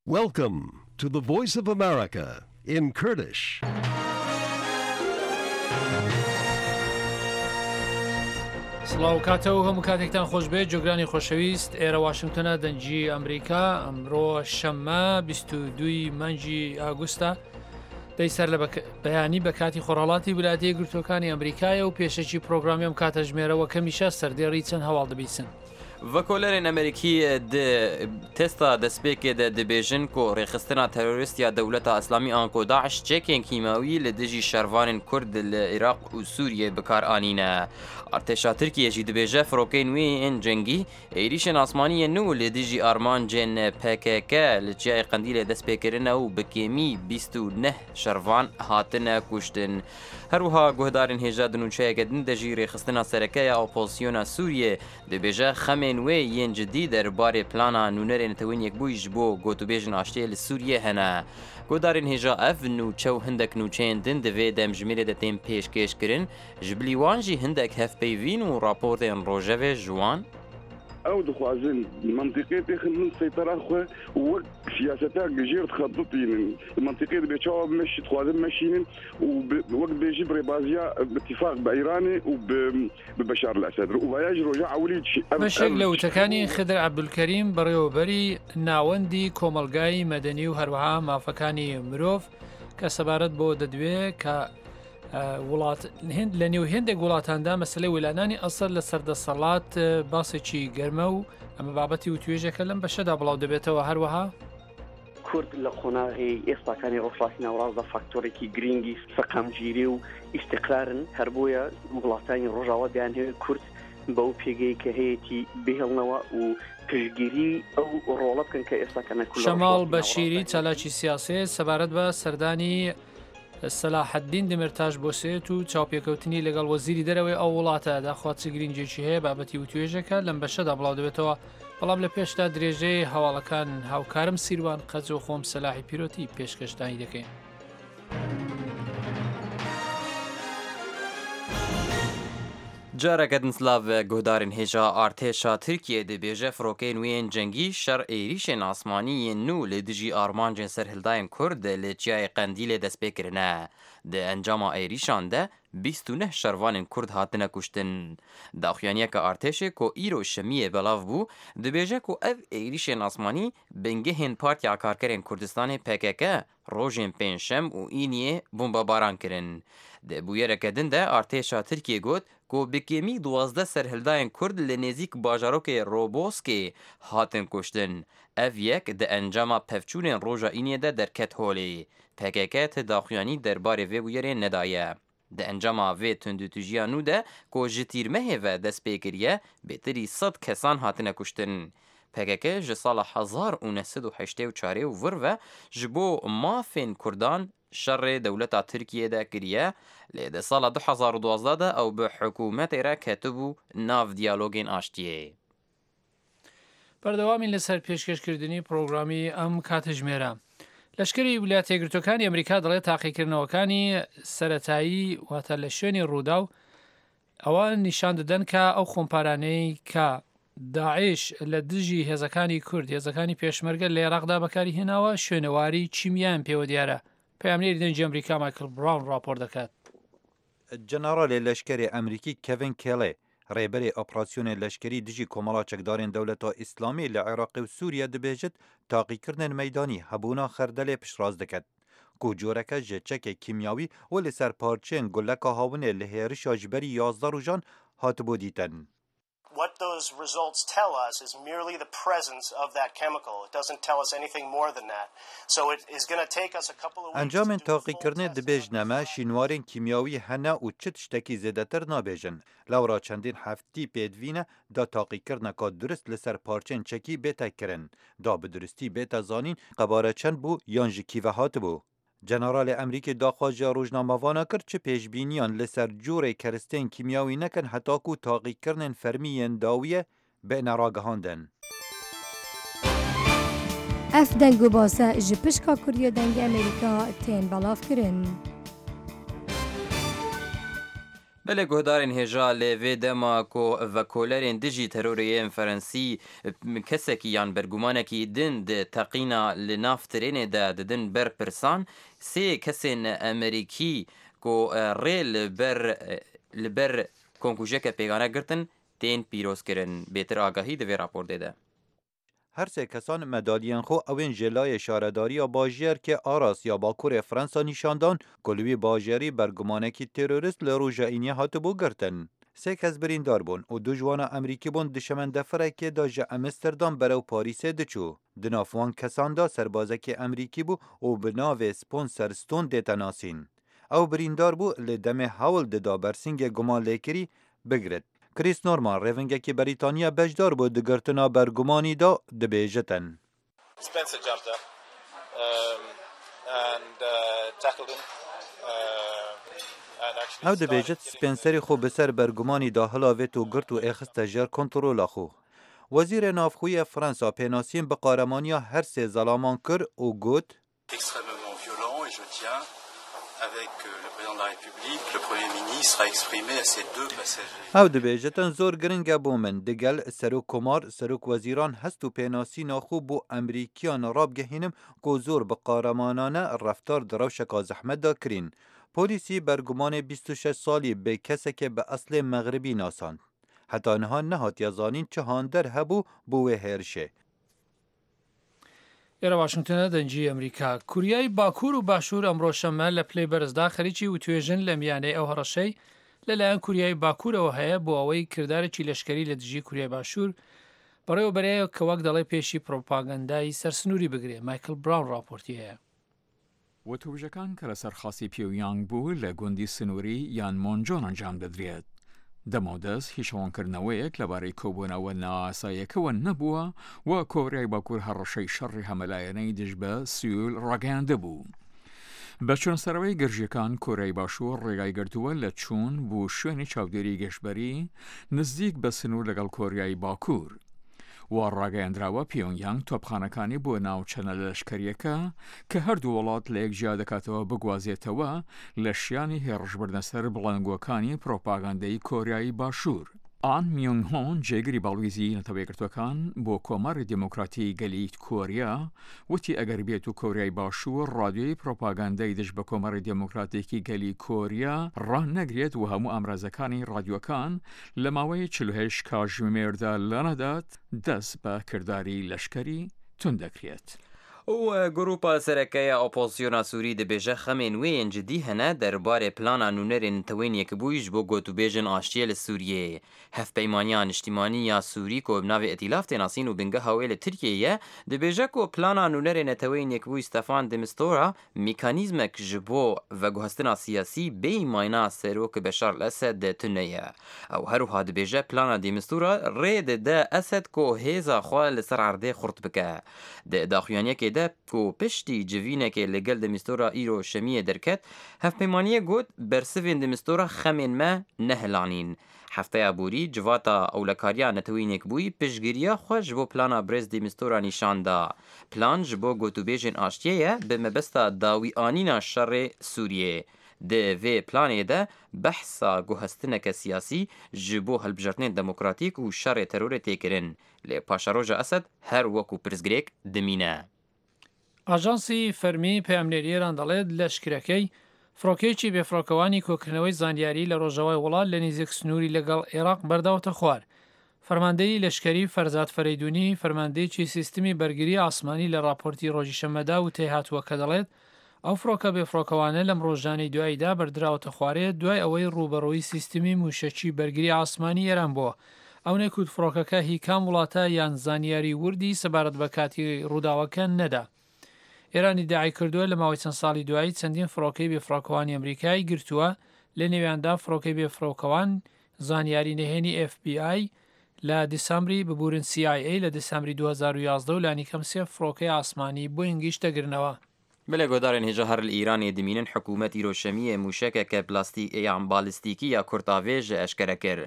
Welcome to the Voice of America in Kurdish. سڵاو کاتە و هەموو کاتێکتان خۆش بێت جۆگرانی خۆشەویست ئێرە واشنگتۆنە دەنگی ئەمریکا ئەمڕۆ شەممە 22 مانگی ئاگوستە دەی سەر لە بەیانی بە کاتی خۆڕهڵاتی ولایەتە یەکگرتووەکانی ئەمریکایە و پێشەکی پرۆگرامی ئەم کاتەژمێرەوە کەمیشە سەردێڕی چەند هەواڵ دەبیسن. Vekolerên Amerîkî di testa destpêkê de dibêjin ku rêxistina terorîst ya Dewleta Îslamî anko DAIŞ çekên kîmyawî li dijî şervanên Kurd li Iraq û Sûriyê bikar anîne. Artêşa Tirkiyê jî dibêje firokeyên wê yên cengî êrîşên asmanî yên nû li dijî armancên pkk li Çiyayê Qendîlê dest pê kirine û bi kêmî 29 şervan hatine kuştin. Her wiha guhdarên hêja di nûçeyeke din de jî rêxistina sereke ya opozisyona Sûriyê Dibêje xemên wê yên cidî derbarê plana nûnerê Neteweyên Yekbûyî ji bo gotûbêjên aştiyê li Sûriyê hene. Guhdarên hêja ev nûçe û hindek nûçeyên din di vê demjimêrê de tên pêşkêşkirin, ji bilî wan jî hindek hevpeyvîn û raportên rojevê ji wan. Ew dixwazin mentiqê têxin bin seytara xwe û wek siyaseta jêr dixebitînin. Li mentiqê dibê çawa bimeşî dixwazin bimeşînin û wek dibêjî bi rêbaziya bi tîfaq bi Îranê û bi bi Beşar El Esed re û vaya ji roja ewilî ev بەشێک لە وتەکانی خدر عەبدولکەریم بەڕێوەبەری ناوەندی کۆمەڵگای مەدەنی و هەروەها مافەکانی مرۆڤ کە سەبارەت بۆ دەدوێ کە وڵات هند لە نێو هێندێک وڵاتاندا مەسلەی ویلانانی ئەسەر لە سەردەسەڵات باسێکی گەرمە و ئەمە بابەتی و توێژەکە لەم بەشەدا بڵاو دەبێتەوە هەروەها کورد لە قۆناغی ئێستاکانی ڕۆژهەڵاتی ناوەڕاستدا فاکتۆرێکی گرینگی سەقامگیری و ئیستیقرارن، هەر بۆیە وڵاتانی ڕۆژاوا دەیانهەوێت کورد بەو پێگەی کە هەیەتی بهێڵنەوە و پشتگیری ئەو ڕۆڵە بکەن کە ئێستاکەنە کورد لە شەماڵ ڕۆژهەڵاتی بەشیری ناوەڕاستدا هەیە. چالاکی سیاسێ سەبارەت بە سەردانی سەلاحەدین دەمیرتاش بۆ سوێد و چاوپێکەوتنی لەگەڵ وەزیری دەرەوەی ئەو وڵاتە داخوا چ گرنگیەکی هەیە بابەتی وتوێژێکە لەم بەشەدا بڵاو دەبێتەوە بەڵام لە پێشدا درێژەی هەواڵەکان هاوکارم سیروان قەج و خۆم سەلاحی پیرۆتی پێشکەشتانی دەکەین. Careke din silav guhdarên hêja artêşa Tirkiyê dibêje firokeyên wê yên cengî şer êrîşên asmanî yên nû li dijî armancên serhildayên Kurd li Çiyayê Qendîlê dest pê kirine. Di encama êrîşan de 29 şervanên Kurd hatine kuştin. Daxuyaniyeke artêşê ku îro şemiyê belav bû dibêje ku ev êrîşên asmanî bingehên Partiya Karkerên Kurdistanê pkk Rojên pêncşem û îniyê bombebaran kirin. Di bûyereke din de artêşa Tirkiyê got ku bi kêmî 12 serhildayên Kurd li nêzîk bajarokê Roboskê hatin kuştin. Ev yek di encama pevçûnên roja îniyê de derket holê. Pkk ti daxuyanî derbarê vê bûyerê nedaye. Di encama vê tundûtûjiya nû de ku ji tîrmehê ve dest pê kiriye, bêtirî sed kesan hatine kuştin. Pkk ji sala 1984 û vir ve ji bo mafên Kurdan şerê dewleta Tirkiyê de kiriye, lê di sala 2012 de ew bi hikûmetê re ketibû nav diyalogên aştiyê. بەردەوامین لەسەر پێشکەشکردنی پرۆگرامی ئەم کاتژمێرە. لەشکری ویلایەتە یەکگرتووەکانی ئەمریکا دەڵێت تاقیکردنەوەکانی سەتایی واتە لە شوێنی ڕوودا و ئەوە نیشان دەدەن کە ئەو خۆمپارانەی کە داعش لە دژی هێزەکانی کورد هێزەکانی پێشمەرگە لە عێراقدا بەکاری هێناوە شوێنەواری چیمیان پێوە دیارە پەیامنێری دەنگی ئەمریکا مایکل براون راپۆرت دەکات. Generalê leşkerê Amerîkî Kevin Kelly, rêberê operasyonên leşkerî dijî Komela Çekdarên Dewleta Îslamî li Iraqê û Sûriye dibêjit taqîkirinên meydanî hebûna xerdelê piştrast diket ku coreke ji çekê kîmyawî û li ser parçeyên guleka hawinê li hêrişa ji berî 11 rojan hatibû dîtin. What those results tell us is merely the presence of that chemical. It doesn't tell us anything more than that. So it is going to take us a couple of weeks Encamên taqîkirinê dibêjine me şînwarên kîmyawî hene û çi tiştekî zêdetir nabêjin. Lewra çendîn heftî pêdivîne da taqîkirineka durist li ser parçeyên çekî bête kirin. Da bi duristî bête zanîn qebare çend bû yan ji kî ve hatibû. Generalê Amerîkî daxwaz ji rojnamevana kir çi pêşbîniyan li ser cûrê keristên kîmyawî nekin heta ku taqîkirinên fermî yên dawiyê bêne ragihandin. Ev deng û base ji pişka Kurdiya Dengê Amerîka tên belavkirin. Belê guhdarên hêja lê vê dema ku vekolerên dijî terorê yên Ferensî kesekî yan bergumanekî din di teqîna li nav trênê de didin ber pirsan, sê kesên Amerîkî ku rê li ber li ber komkujiyeke pêgane girtin tên pîrozkirin. Bêtir agahî di vê raportê de. Her sê kesan medalyên xwe ew ên ji layê şaredariya bajêrkê Arras ya bakurê Fransa nîşan dan ku li wî bajêrî bergumanekî terorîst li roja îniyê hatibû girtin. Sê kes birîndar bûn û du ji wan a Amerîkî bûn di şemendefirekê de ji Amsterdam berew Parîsê diçû. Di nav wan kesan de serbazekî Amerîkî bû û bi navê Sponser Stone dête nasîn. Ew birîndar bû lê demê hewl dida bersîngê gumanlêkirî bigirit. Chris Norman rêvingekî Berîtaniya beşdar bû di girtina bergumanî de dibêjitin. Spencer jumped up and tackled him and actually Ew dibêjit Spencerî xwe bi ser bergumanî de hilavêt û girt û êxiste jêr kontrola xwe. Wezîrê Navxweyê yê Fransa pênasîn bi qaremaniya her sê zelaman kir û got, Extrêmement violent et je tiens, avec le Président de la République, le Premier ministre, à exprimer à ces deux passagers. Ew dibêjitin zor giring e bo min digel Serokkomar, Serokwezîran hest û pênasîna xwe bo Amerîkiyan rabigihînim ku zor bi qaremanane reftar di rewşeka zehmet de kirîn. Polîsî bergumanê 26 salî bi kesekê bi eslê Mexribî nasand. Heta niha nehatiye zanîn çi hander hebû bo wê hêrişê. ئێرە واشنگتنە دەنگی ئەمریکا. کوریای باکوور و باشوور ئەمڕۆ شەممە لە پلەی بەرزدا خەریکی وتوێژن لە میانەی ئەو هەڕەشەی لەلایەن کوریای باکوورەوە هەیە بۆ ئەوەی کردارێکی لەشکەری لە دژی کوریای باشوور بەڕێوەبەرێ کە وەک دەڵێ پێشی پرۆپاگەندای سەر سنووری بگرێ. مایکل براون ڕاپۆرتی هەیە. وتووژەکان کە لەسەر خاسی پیۆنگیانگ بوو لە گوندی سنووری یانمۆنجۆن ئەنجام دەدرێت. دەمەودەست هیچ ڕوونکردنەوەیەک لەبارەی کۆبوونەوە نائاساییەکەوە نەبووە و کۆریای باکوور هەڕەشەی شەڕی هەمەلایەنەی دژ بە سیول ڕاگەیاندبوو. بە چوونەسەرەوەی گرژییەکان، کۆریای باشوور ڕێگای گرتووە لە چوون بۆ شوێنی چاودێری گەشتبەری نزیک بە سنوور لەگەڵ کۆریای باکوور. وا ڕاگەیەندراوە پیۆنگیانگ تۆپخانەکانی بۆ ناوچە نەلەشکەرییەکە کە هەردوو وڵات لە یەک جیا دەکاتەوە بگوازێتەوە لە شیانی هێڕشبردنە سەر بڵندگۆکانی پرۆپاگەندەی کۆریای باشوور. ئان میونگ هۆن جێگری باڵویزی نەتەوە یەکگرتووەکان بۆ کۆماری دێموکراتی گەلی کۆریا وتی ئەگەر بێت و کۆریای باشوور ڕادیۆی پرۆپاگەندەی دژ بە کۆماری دێموکراتیکی گەلی کۆریا ڕانەگرێت و هەموو ئامرازەکانی ڕادیۆکان لە ماوەی 48 کاژمێردا لانەدات، دەست بە کرداری لەشکەری توند دەکرێت. و گروپا سەرەکەیە ئۆپۆزسیۆنا سووری دبێژە خەمێن وێ yên cidî hene derbarê plana nûnerên Neteweyên Yekbûyî ji bo gotûbêjên aştiyê li Sûriyeyê. Hevpeymaniya Niştîmanî ya Sûrî ku bi navê Îtîlaf tê nasîn û bingeha wê li Tirkiyeyê ye, dibêje ku plana nûnerê Neteweyên Yekbûyî Stefan de Mistura Mîkanîzmek ji bo veguhestina siyasî bêyî mayna Serok Beşar el Esed tune ye. Ew her wiha dibêje plana de Mistura rê dide Esed ku hêza xwe li ser erdê xurt bike. Di daxuyaniyekê de ku piştî civînekê li gel de Mistura îro şemiyê derket, hevpeymaniyê got bersivên de Mistura xemên me nehilanîn. Hefteya borî Civata Ewlekariya Neteweyî Yekbûyî piştgiriya xwe ji bo plana Birêz de Mistura nîşan da. Plan ji bo gotûbêjên aştiyê ye bi mebesta dawîanîna şerê Sûriyeyê. Di vê planê de behsa guhestineke siyasî ji bo hilbijartinên demokratîk û şerê terorê tê kirin. Lê paşeroja Esed her wekû pirsgirêk dimîne. ئاژانسی فەرمی پەیامنێری ئێران دەڵێت، لەشکرەکەی فڕۆکەیەکی بێفڕۆکەوانی کۆکردنەوەی زانیاری لە ڕۆژاوای وڵات لە نیزیک سنووری لەگەڵ عێراق بەرداوەتە خوار. فەرماندەیی لەشکەری فەرزاد فەرەیدوونی، فەرماندەیەکی سیستمی بەرگری ئاسمانی لە ڕاپۆرتی ڕۆژی شەممەدا وتەی هاتووە کە دەڵێت، ئەو فڕۆکە بێفڕۆکەوانە لەم ڕۆژانەی دواییدا بەردراوەتە خوارێ دوای ئەوەی ڕووبەڕووی سیستمی مووشەکی بەرگری ئاسمانی ئێران بووە. ئەو نەیکوت فڕۆکەکە هی کام وڵاتە یان زانیاری وردی سەبارەت بە کاتی ڕووداوەکە نەدا. ئێران ئیدعای کردووە لە ماوەی چەند ساڵی دوایی چەندین فڕۆکەی بێفڕۆکەوانی ئەمریکای گرتووە، لە نێویاندا فڕۆکەی بێفڕۆکەوان زانیاری نهێنی ئێف بی ئای لە دیسامبری ببورن سی ئای ئەی لە دیسامبری 2011 و لانیکەم سێ فڕۆکەی ئاسمانی بۆینگیش دەگرنەوە. Belê guhdarên hêja her li Îranê dimînin hikûmet îro şemiyê mûşekeke plastîk yan balistîkî ya kurtavêj eşkere kir.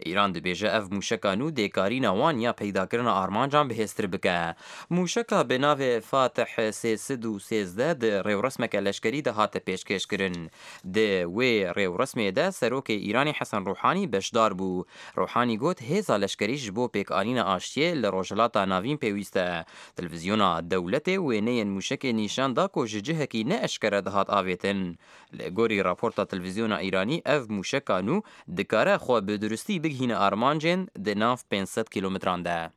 Îran dibêje ev mûşeka nû dê karîna wan ya peydakirina armancan bihêztir bike. Mûşeka bi navê Fatih 313 di rêwresmeke leşkerî de hate pêşkêşkirin. Di wê rêwresmê de Serokê Îranê Hesen Rûhanî beşdar bû. Rûhanî got hêza leşkerî ji bo pêkanîna aştiyê li Rojhilata Navîn pêwîst e. Televîzyona dewletê wêneyên mûşekê nîşan da ku ji cihekî ne eşkere dihat avêtin. Li gorî raporta televîzyona Îranî ev mûşeka nû dikare xwe bi duristî bigihîne armancên di nav 500 kîlometran de.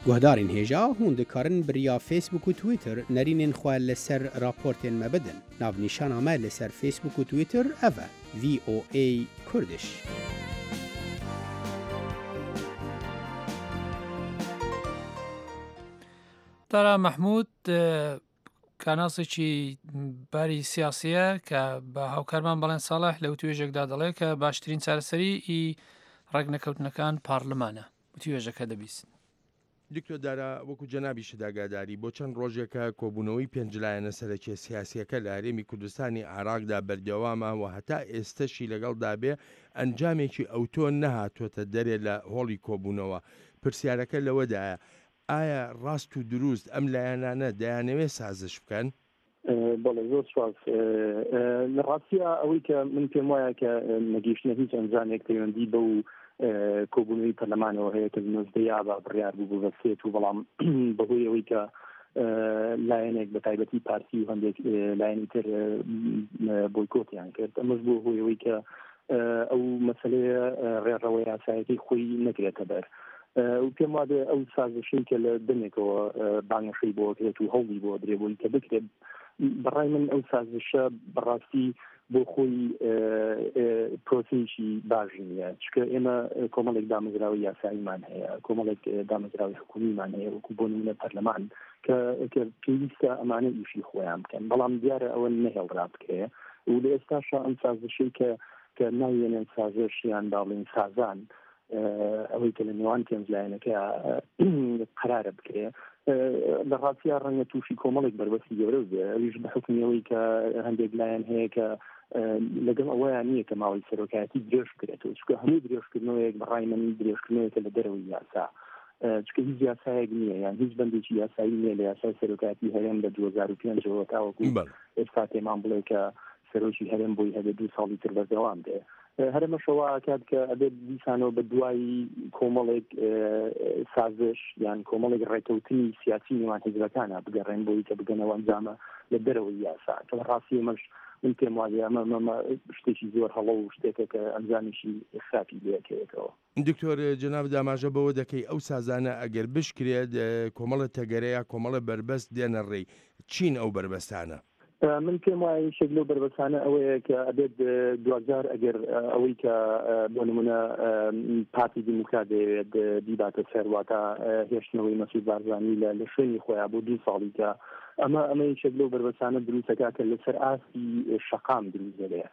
Guhdarên hêja hûn dikarin bi riya Facebook û Twitter nerînên xwe li ser raportên me bidin. Navnîşana me li ser Facebook û Twitter ev e, VOA Kurdish. Dara Mehmûd کارناسێکی باری سیاسیە کە بە هاوکارمان بەڵێن ساڵح لە وتوێژێکدا دەڵێ کە باشترین چارەسەری ئی ڕێکنەکەوتنەکان پارلمانە وتوێژەکە دەبیستن. دکتۆر دارا، وەکو جەنابیشت ئاگاداری، بۆ چەند ڕۆژێکە کۆبوونەوەی پێنج لایەنە سەرەکیە سیاسیەکە لە هەرێمی کوردستانی عێراقدا بەردەوامە و هەتا ئێستەشی لەگەڵدا بێ ئەنجامێکی ئەوتۆ نەهاتۆتە دەرێ لە هۆڵی کۆبوونەوە. پرسیارەکە لەوەدایە ئایا ڕاست و دروست ئەم لایەنانە دەیانەوێ سازش بکەن؟ بەڵێ زۆر سوپاس. لە ڕاستیا ئەوەی کە من پێم وایە کە نەگەیشتنە هیچ ئەنجامێک پەیوەندی بەو کۆبوونەوەی پەرلەمانەوە هەیە کە نۆزدەی ئابا بڕیار بوو ببەستێت و بەڵام بەهۆی ئەوەی کە لایەنێک بە تایبەتی پارتی و هەندێک لایەنی تر بۆیکۆتیان کرد ئەمەش بۆ هۆی ئەوەی کە ئەو مەسلەیە ڕێڕەوە یاسایەکەی خۆی نەگرێتە بەر و پێم وابێ ئەو سازشەی کە لە دەمێکەوە بانگەشەی بۆ کرێت و هەوڵی بۆ درێ بۆی کە بکرێت بەڕای من ئەو سازشە بەڕاستی بۆ خۆی پرۆسەیەکی باش نییە چکە ئێمە کۆمەڵێک دامەزراوەی یاساییمان هەیە کۆمەڵێک دامەزراوی حکومیمان هەیە وەکو بۆ نمونە پەرلەمان کە پێویستە ئەمانە ئیشی خۆیان بکەن بەڵام دیارە ئەوە نەهێڵرا بکرێ و لە ئێستاشا ئەم سازشەی کە کە ناویێنێن سازش یان با بڵێین سازان ئەوەی کە لە نێوان پێنج لایەنەکە قەرارە بکرێ لە ڕاستیا ڕەنگە تووشی کۆمەڵێک بەربەستی گەورە بێ ئەویش بە حکمی ئەوەی کە هەندێک لایەن هەیە کە لەگەڵ ئەوەیان نییە کە ماوەی سەرۆکایەتی درێژ بکرێتەوە چونکە هەموو درێژکردنەوەیەک بەڕای من درێژکردنەوەیەکە لە دەرەوەی یاسا چونکە هیچ یاسایەک نییە یان هیچ بەندێکی یاسایی نییە لە یاسای سەرۆکایەتی هەرێم لە 2005ەوە تاوەکو ئێستا پێمان بڵێ کە سەرۆکی هەرێم بۆی هەبێ دوو ساڵی تر بەردەوام بێ هەرەمەشە وا ئەکات کە ئەبێت دیسانەوە بە دوای کۆمەڵێک سازش یان کۆمەڵێک ڕێکەوتنی سیاسی نێوان حیزبەکانە بگەڕێن بۆی کە بگەنەوە ئەنجامە لە دەرەوەی یاسا کە لە ڕاستی ئەمەش من پێم وابێ ئەمە ئەمە شتێکی زۆر هەڵە و شتێکە کە ئەنجامیشی خراپی لێکەوێتەوە. دکتۆر جەنابت ئاماژە بەوە دەکەی ئەو سازانە ئەگەر بشکرێت کۆمەڵە تەگەرە یا کۆمەڵە بەربەست دێنە ڕێی، چین ئەو بەربەستانە؟ من پێم وایە یەکێک لەو بەربەستانە ئەوەیە کە ئەبێت دواجار ئەگەر ئەوەی کە بۆ نمونە پارتی دیموکرات دەیەوێت بیباتە سەر واتە هێشتنەوەی مەسعود بارزانی لە لە شوێنی خۆیان بۆ دوو ساڵی کە ئەمە ئەمە یەکێک لەو بەربەستانە دروستەکە کە لەسەر ئاستی شەقام دروست دەبێت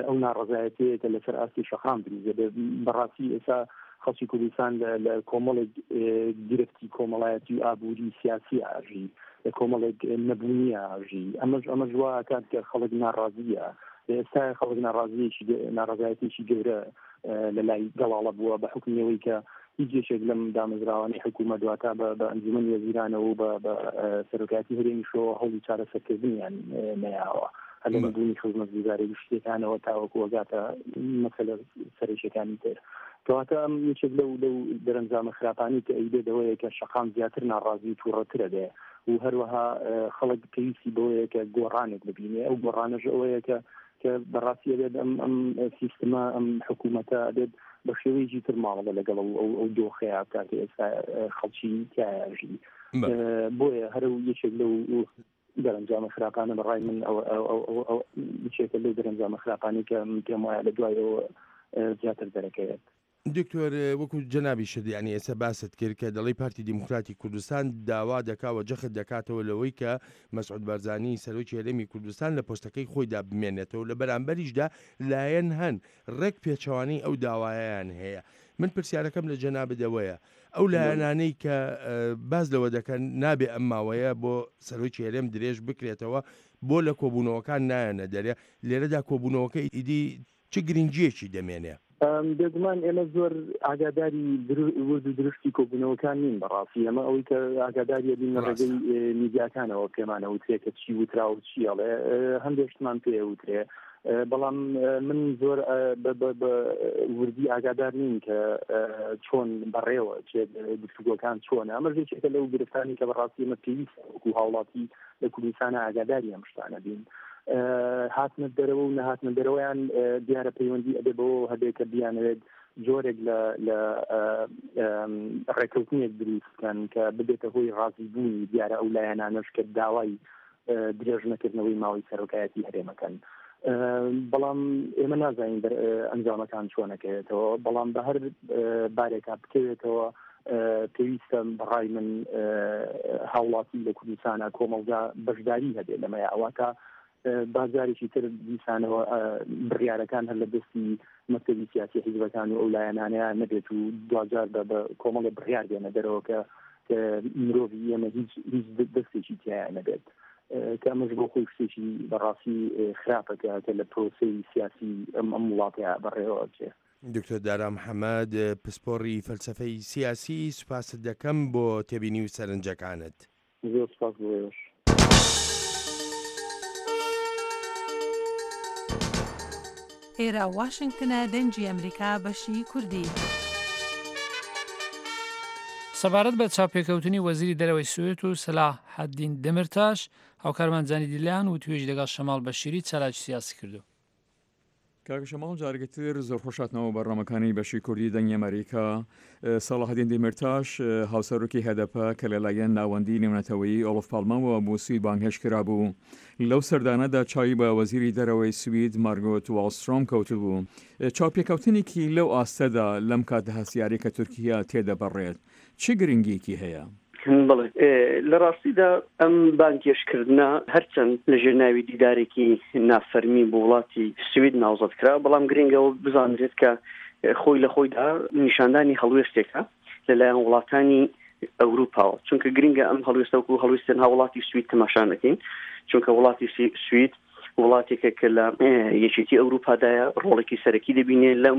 ئەو ناڕەزایەتیەیە کە لەسەر ئاستی شەقام دروست دەبێت بەڕاستی ئێستا خەڵکی کوردستان لە کۆمەڵێک گرفتی کۆمەڵایەتی و ئابووری سیاسی ئاژی لە کۆمەڵێک نەبوونی ئاژی ئەمەش ئەمەش وا ئەکات کە خەڵک ناڕازیە لە ئێستا خەڵک ناڕازیەکی ناڕەزایەتیەکی گەورە لە لای گەڵاڵە بووە بە حوکمی ئەوەی کە هیچ یەکێک لەم دامەزراوانەی حکوومەت واتا بە بە ئەنجومەنی وەزیرانەوە و بە بە سەرۆکایەتی هەرێمیشەوە هەوڵی چارەسەرکردنیان نەیاوە هەر لە نەبوونی خزمەتگوزاری گشتیەکانەوە تاوەکو ئەگاتە مەسەلە سەرەکیەکانی تر کەواتە ئەم یەکێک لەو لەو دەرەنجامە خراپانەی کە ئەیبێت ئەوەیە کە شەقام زیاتر ناڕازی و تووڕەترە بێ و هەروەها خەڵک پێویستی بەوەیە کە گۆڕانێک ببینێ ئەو گۆڕانەش ئەوەیە کە کە بەڕاستی ئەبێت ئەم ئەم سیستمە ئەم حکوومەتە ئەبێت بە شێوەیەکی تر مامەڵە لەگەڵ ئەو ئەو ئەو دۆخەیە بکات کە ئێستا خەڵکی تیایا ژی بۆیە هەر یەکێک لەو دەرەنجامە خراپانە بە ڕای من ئەو ئەو ئەو ئەو یەکێکە لەو دەرەنجامە خراپانەی کە من پێم وایە لە دوای ئەوە زیاتر دەرەکەوێت. دکتۆر وەکو جەنابیشت یانی ئێستا باست کرد کە دەڵێی پارتی دیموکراتی کوردستان داوا دەکا و جەخت دەکاتەوە لەوەی کە مەسعود بارزانی سەرۆکی هەرێمی کوردستان لە پۆستەکەی خۆیدا بمێنێتەوە لە بەرامبەریشدا لایەن هەن ڕێک پێچەوانەی ئەو داوایەیان هەیە. من پرسیارەکەم لە جەنابت ئەوەیە ئەو لایەنانەی کە باس لەوە دەکەن نابێ ئەم ماوەیە بۆ سەرۆکی هەرێم درێژ بکرێتەوە بۆ لە کۆبوونەوەکان نایەنە دەرێ لێرەدا کۆبوونەوەکە ئیدی چ گرنگییەکی دەمێنێ؟ بێگومان ئێمە زۆر ئاگاداری ورد و درشتی کۆبوونەوەکان نین بەڕاستی ئەمە ئەوەی کە ئاگاداریە بین لە ڕێگەی میدیاکانەوە پێمانە وترێ کە چی وترا و چی ئەڵێ هەندێک شتمان پێ وترێ بەڵام من زۆر بە وردی ئاگادار نین کە چۆن بەڕێوە چێت گفتوگۆکان چۆنە ئەمە یەکێکە لەو گرفتانی کە بەڕاستی ئێمە پێویست وەکو هاوڵاتی لە کوردستانە ئاگاداری ئەم شتانە بین. هاتنە دەرەوە و نەهاتنە دەرەوەیان دیارە پەیوەندی ئەبێ بەوە هەبێ کە بیانەوێت جۆرێک لە لە ڕێککەوتنێک دروست بکەن کە ببێتە هۆی ڕازیبوونی دیارە ئەو لایەنانەش کە داوای درێژ نەکردنەوەی ماوەی سەرۆکایەتی هەرێمەکەن بەڵام ئێمە نازانین ئەنجامەکان چۆنەکەوێتەوە بەڵام بە هەر بارێکا بکەوێتەوە پێویستە بەڕای من هاوڵاتی لە کوردستانە کۆمەڵگا بەشداری هەبێت لەمەیە ئەواتە با جارێکی تر دیسانەوە بڕیارەکان هەر لە دەستی مەکتەبی سیاسی حیزبەکان و ئەو لایەنانەیە نەبێت و دواجار بە بە کۆمەڵێ بڕیار بێنە دەرەوە کە مرۆڤی ئێمە هیچ هیچ دەستێکی تیایا نەبێت کە ئەمەش بۆ خۆی شتێکی بەڕاستی خراپە کە لە پرۆسەی سیاسی ئەم ئەم وڵاتەیە بەڕێوە ئەچێ. دکتۆر دارا محەمەد، پسپۆڕی فەلسەفەی سیاسی، سوپاست دەکەم بۆ تێبینی و سەرنجەکانت. زۆر سوپاس بۆ ئێوەش. ئێرە واشنگتنە دەنگی ئەمریکا بەشی کوردی. سەبارەت بە چاوپێکەوتنی وەزیری دەرەوەی سوێد و سەلاحەدین دەمرتاش، هاوکارمان جانی دیلان وتوێژی لەگەڵ شەماڵ بەشیری چالاکی سیاسی کردووە. کاک شەماڵ جارێکی تر زۆر خۆش هاتنەوە بەرنامەکانی بەشی کوردی دەنگی ئەمریکا. سەڵاحەدین دیمیرتاش هاوسەرۆکی هەدەپە کە لەلایەن ناوەندی نێونەتەوەیی ئۆڵف پاڵمەوە بۆ سوید بانگهێشت کرابوو، لەو سەردانەدا چاوی بە وەزیری دەرەوەی سوید مارگۆت واڵسترۆم کەوتبوو. چاوپێکەوتنێکی لەو ئاستەدا لەم کاتە هەستیارەی کە تورکیا تێدەپەڕێت چ گرنگییەکی هەیە؟ بەڵێ، لە ڕاستیدا ئەم بانگهێشتکردنە هەرچەند لە ژێر ناوی دیدارێکی نافەرمی بۆ وڵاتی سوید ناوزەد کرا، بەڵام گرنگە ئەوە بزانرێت کە خۆی لە خۆیدا نیشاندانی هەڵوێستێکە لەلایەن وڵاتانی ئەوروپاوە، چونکە گرنگە ئەم هەڵوێستە وەکو هەڵوێستی تەنها وڵاتی سوید تەماشا نەکەین، چونکە وڵاتی سوید وڵاتێکە کە لە یەکێتی ئەوروپادایە، ڕۆڵێکی سەرەکی دەبینێ لەم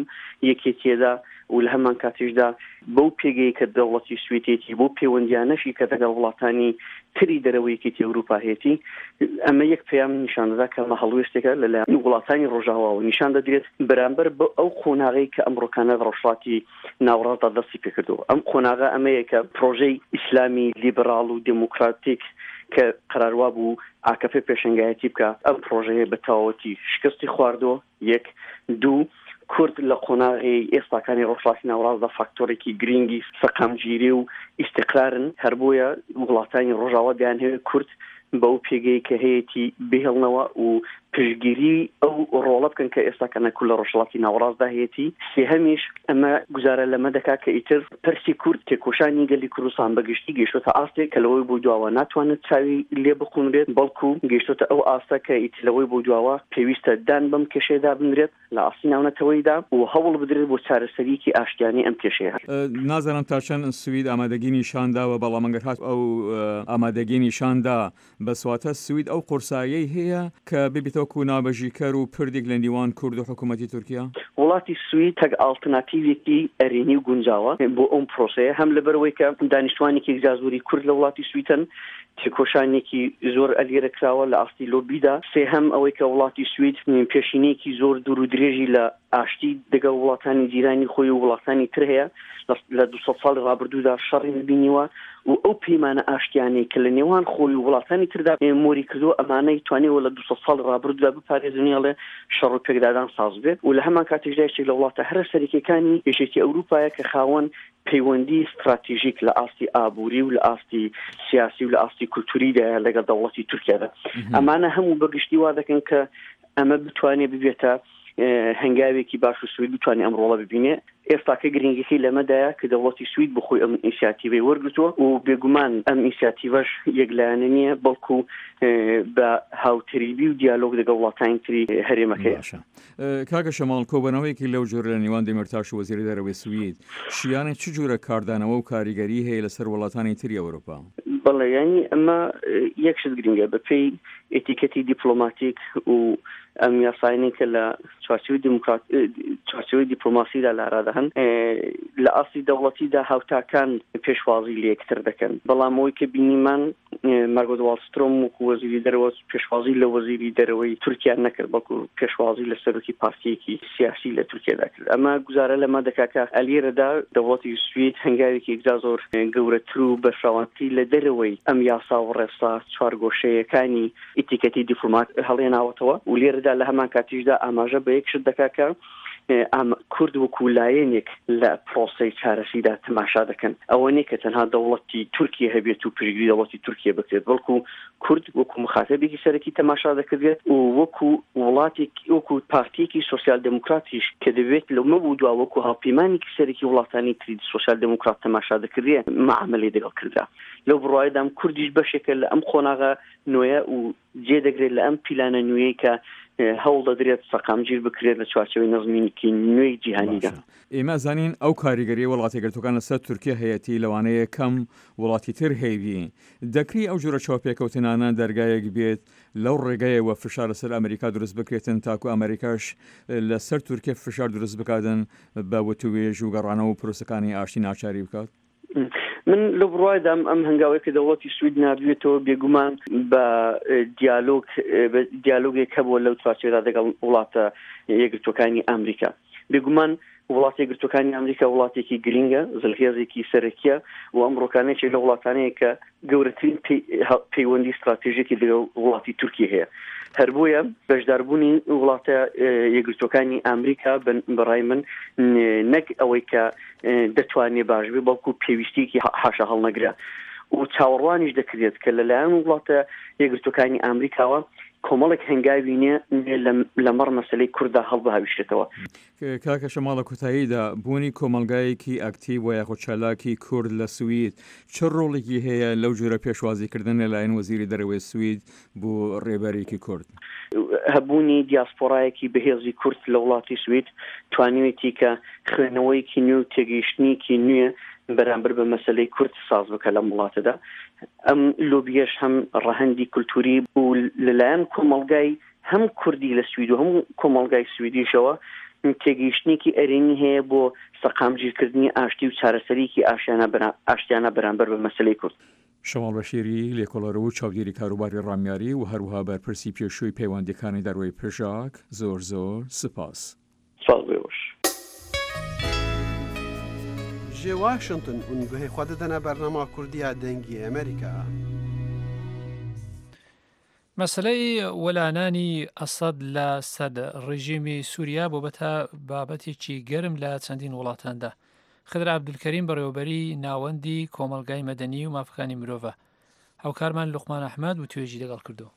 یەکێتیەدا و لە هەمان کاتیشدا بەو پێگەی کە دەوڵەتی سویدێتی بۆ پەیوەندیانەشی کە دەگەڵ وڵاتانی تری دەرەوەی یەکێتی ئەوروپا هەیەتی، ئەمە یەک پەیام نیشان دەدا کە ئەمە هەڵوێستێکە لەلایەن وڵاتانی ڕۆژاواوە نیشان دەدرێت بەرامبەر بە ئەو قۆناغەی کە ئەمڕۆکانە لە ڕۆژهەڵاتی ناوەڕاستدا دەستی پێکردووە. ئەم قۆناغە ئەمەیە کە پرۆژەی ئیسلامی لیبراڵ و دێموکراتیک کە قەرار وابوو ئاکەپە پێشەنگایەتی بکا، ئەم پرۆژەیە بە تەواوەتی شکستی خواردووە، یەک. دوو، کورد لە قۆناغی ئێستاکانی ڕۆژهەڵاتی ناوەڕاستدا فاکتۆرێکی گرینگی سەقامگیری و ئیستیقرارن، هەر بۆیە وڵاتانی ڕۆژاوا دەیانهەوێت کورد بەو پێگەی کە هەیەتی بهێڵنەوە و پشتگیری ئەو ڕۆڵە بکەن کە ئێستا کە نەکو لە ڕۆژهەڵاتی ناوەڕاستدا هەیەتی. سێهەمیش ئەمە گوزارە لەمە دەکات کە ئیتر پرسی کورد، تێکۆشانی گەلی کوردستان بە گشتی گەیشتۆتە ئاستێک کە لەوەی بۆ دواوە ناتوانێت چاوی لێ بقونرێت، بەڵکو گەیشتۆتە ئەو ئاستە کە ئیتر لەوەی بۆ دواوە پێویستە دان بەم کێشەیەدا بنرێت لە ئاستی ناونەتەوەییدا و هەوڵ بدرێت بۆ چارەسەرییەکی ئاشتیانەی ئەم کێشەیە. نازانم تا چەند سوید ئامادەگی نیشان داوە، بەڵام ئەگەر هات ئەو ئامادەگی نیشان دا، بەس واتە سوید ئەو قورساییەی هەیە کە ببێتە وەکوو ناوبژیکەر و پردێک لە نیوان کورد و حکوومەتی تورکیا؟ وڵاتی سوید تەک ئاڵتناتیڤێکی ئەرێنی و گونجاوە بۆ ئەم پرۆسەیە، هەم لەبەرئەوەی کە دانیشتوانێکی یەکجار زۆری کورد لە وڵاتی سوید هەن، تێکۆشانێکی زۆر ئەلێرە کراوە لە ئاستی لۆبیدا، سێهەم ئەوەی کە وڵاتی سوید پێشینەیەکی زۆر دوور و درێژی لە ئاشتی دەگەڵ وڵاتانی جیرانی خۆی و وڵاتانی تر هەیە، لە 200 ساڵی ڕابردوودا شەڕی نەبینیوە و ئەو پەیمانە ئاشتیانەی کە لە نێوان خۆی و وڵاتانی تردا مۆری کردووە ئەمانەی توانیوە لە 200 ساڵی ڕابردوودا بپارێزن و شەڕ و پێکدادان ساز بێت و لە هەمان کاتیشدا یەکێک لە وڵاتە هەرە سەرەکیەکانی یەکێتی ئەوروپایە کە خاوەن پەیوەندی ستراتیژیک لە ئاستی ئابووری و لە ئاستی سیاسی و لە ئاستی کولتوریدایە لەگەڵ دەوڵەتی تورکیادا. ئەمانە هەموو بە گشتی وا دەکەن کە ئەمە بتوانێت ببێتە هەنگاوێکی باش و سوید بتوانێت ئەم ڕۆڵە ببینێ. ئێستاکە گرنگیەکەی لەمەدایە کە دەوڵەتی سوید بۆ خۆی ئەم ئینسیاتیڤەی وەرگرتووە و بێگومان ئەم ئینسیاتیڤەش یەکلایەنە نییە بەڵکو بە هاوتەریبی و دیالۆگ لەگەڵ وڵاتانی تری هەرێمەکەیە. باشە کاکە شەماڵ کۆبەنەوەیەکی لەو جۆرە لە نێوان دێمیرتاش و وەزیری دەرەوەی سوید شیانی چ جورە کاردانەوە و کاریگەری هەیە لەسەر وڵاتانی تری ئەوروپا؟ بەڵێ یانی ئەمە یەک شت گرنگە بەپێی ئێتیکەتی دیپلۆماتیک و ئەم یاسایانەی کە لە چوارچێوەی دیموکرات چوارچێوەی دیپلۆماسیدا لە ئارادا هەن لە ئاستی دەوڵەتیدا هاوتاکان پێشوازی لە یەکتر دەکەن بەڵام ئەوەی کە بینیمان مارگۆت واڵسترۆم وەکو وەزیری دەرەوە پێشوازی لە وەزیری دەرەوەی تورکیا نەکرد بەڵکو پێشوازی لە سەرۆکی پارتیەکی سیاسی لە تورکیادا کرد ئەمە گوزارە لەمە دەکا کە ئەلیرەدا دەوڵەتی سوید هەنگاوێکی یەکجار زۆر گەورەتر و بەرفراوانتری لە دەرەوەی ئەم یاسا و ڕێسا چوارگۆشەیەکانی ئیتیکەتی دیپلۆمات هەڵێناوەتەوە و لێرەدا لە هەمان کاتیشدا ئاماژە بە یەک شت دەکا کە کورد وەکو لایەنێک لە پرۆسەی چارەسیدا تەماشا دەکەن. ئەوە نیە کە تەنها دەوڵەتی تورکیە هەبێت و پشتگیری دەوڵەتی تورکیە بکرێت، بەڵکو کورد وەکو موخاتەبێکی سەرەکی تەماشا دەکردرێت و وەکو وڵاتێک وەکو پارتیەکی سۆسیال دێموکراتیش کە دەبێت لەمە بۆ دوا وەکو هاوپەیمانێکی سەرەکی وڵاتانی تری سۆسیال دێموکرات تەماشا دەکردرێت مەعامەلەی دەگەڵ کردرا. لەو بڕوایەدام کوردیش بەشێکە لە ئەم قۆناغە نوێیە و جێ دەگرێت لە ئەم پیلانە نوێیەی کە هەوڵ دەدرێت سەقامگیر بکرێت لە چوارچێوەی نەزمێکی نوێی جیهانیدا. باشە ئێمە ئەزانین ئەو کاریگەریەی وڵاتەیەکگرتوەکان لەسەر تورکیا هەیەتی لەوانەیە کەم وڵاتی تر هەیبی دەکری ئەو جۆرە چاوپێکەوتنانە دەرگایەک بێت لەو ڕێگایەوە فشار لەسەر ئەمریکا دروست بکرێتن تاکو ئەمریکاش لەسەر تورکیا فشار دروست بکاتن بە وتوێژ و گەڕانەوە و پرۆسەکانی ئاشتی ناچاری بکات؟ من لەو بڕوایدام ئەم هەنگاوەی کە دەوڵەتی سوید ناردوێتەوە بێگومان بە دیالۆگ دیالۆگێک هەبووە لەو چوارچێوەدا دەگەڵ وڵاتە یەکگرتووەکانی ئەمریکا بێگومان وڵاتە یەکگرتووەکانی ئەمریکا وڵاتێکی گرینگە زلهێزێکی سەرەکیە و ئەمڕۆکانێکی لە وڵاتانەیە کە گەورەترین پەیوەندی ستراتێژێکی لەگەڵ وڵاتی تورکی هەیە هەر بۆیە بەشداربوونی وڵاتە یەکگرتووەکانی ئەمریکا بەڕای من نەک ئەوەی کە دەتوانێ باش بێ بەڵکو پێویستیەکی حاشا هەڵنەگرە و چاوەڕوانیش دەکرێت کە لەلایەن وڵاتە یەکگرتووەکانی ئەمریکاوە کۆمەڵێک هەنگاوی نوێ لەمەڕ مەسەلەی کورددا هەڵبهاویشێتەوە. کاکە شەماڵ لە کۆتاییدا بوونی کۆمەڵگایەکی ئەکتیڤ و یاخود چالاکی کورد لە سوید چ ڕۆڵێکی هەیە لەو جۆرە پێشوازیکردن لە لایەن وەزیری دەرەوەی سوید بۆ ڕێبەرێکی کورد؟ هەبوونی دیاسپۆرایەکی بەهێزی کورد لە وڵاتی سوید توانیوێتی کە خوێندنەوەیەکی نوێ و تێگەیشتنێکی نوێ بەرامبەر بە مەسەلەی کورد ساز بکە لەم وڵاتەدا. ئەم لۆبیەش هەم ڕەهەندی کولتووری و لەلایەن کۆمەڵگای هەم کوردی لە سوید و هەم کۆمەڵگای سویدیشەوە تێگەیشتنێکی ئەرێنی هەیە بۆ سەقامگیرکردنی ئاشتی و چارەسەریی ئاشتیانە بەرامبەر بە مەسەلەی کورد. شەماڵ بەشیری، لێکۆڵەر و چاودێری کاروباری ڕامیاری و هەروەها بەرپرسی پێشووی پەیوەندییەکانی دەرەوەی پژاک، زۆر زۆر سپاس. سپاس بۆ ئێوەش. Ji Washington hûn guhê xwe didine bernama Kurdî ya Dengê Amerîka. مەسەلەی وەلانانی ئەسەد لە سەر ڕێژیمی سووریا بۆبەتە بابەتێکی گەرم لە چەندین وڵاتاندا. خدر عەبدولکەریم بەڕێوەبەری ناوەندی کۆمەڵگای مەدەنی و مافەکانی مرۆڤە. هاوکارمان لوقمان ئەحمەد وتوێژی لەگەڵ کردووە.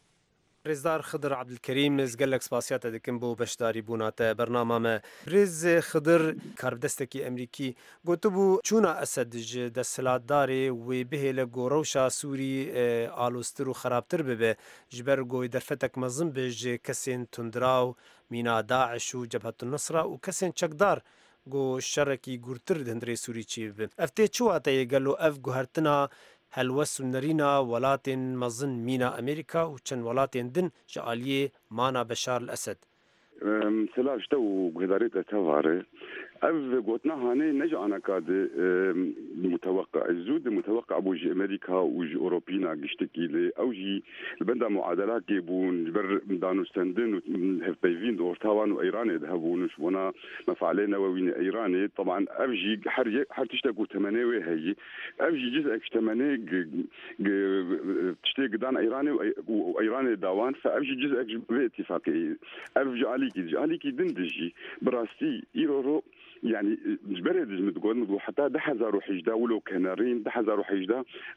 رێزدار خدر عەبدولکەریم ez gelek spasiya te dikim bo beşdarî bûna te bernama me. Birêz Xidir karbidestekî Emrîkî gotibû çûna Esed ji desthilatdarê wê bihêle ku rewşa Sûrî aloztir û xerabtir bibe ji ber ku wê derfetek mezin be ji kesên tundraw mîna DAIŞ û Cebhetunnusra û kesên çekdar ku şerekî gûrtir di hundirê Sûrî çêbibe. Ev tê çi wateyê gelo ev guhertina helwest û nerîna welatên mezin mîna Amerîka û çend welatên din ji aliyê mana Beşar El Esed. Silav ji te û guhdarê te teva re. Ev gotina hanê ne ji anaka di muteweqe zû di muteweqe bû ji Amerîka û ji Ewropîna giştikî lê ew jî li benda muadelakê bûn ji ber danûstendin û hevpeyvîn di orta wan û Îranê de hebûn û ji bona mefalê newewînê Îranê teban ev jî her yek her tiştek û temenê wê heyî Ev jî cizek ji temenê tiştê gidan Îranê û Îranê da wan fe ev jî cizek ji vê îtîfaqê. Ev ji alîkî ji alîkî din dijî. Bi rastî îro ro Yanî ji berê de ji min digot, min digot heta 2018 wilo kenerîn 2018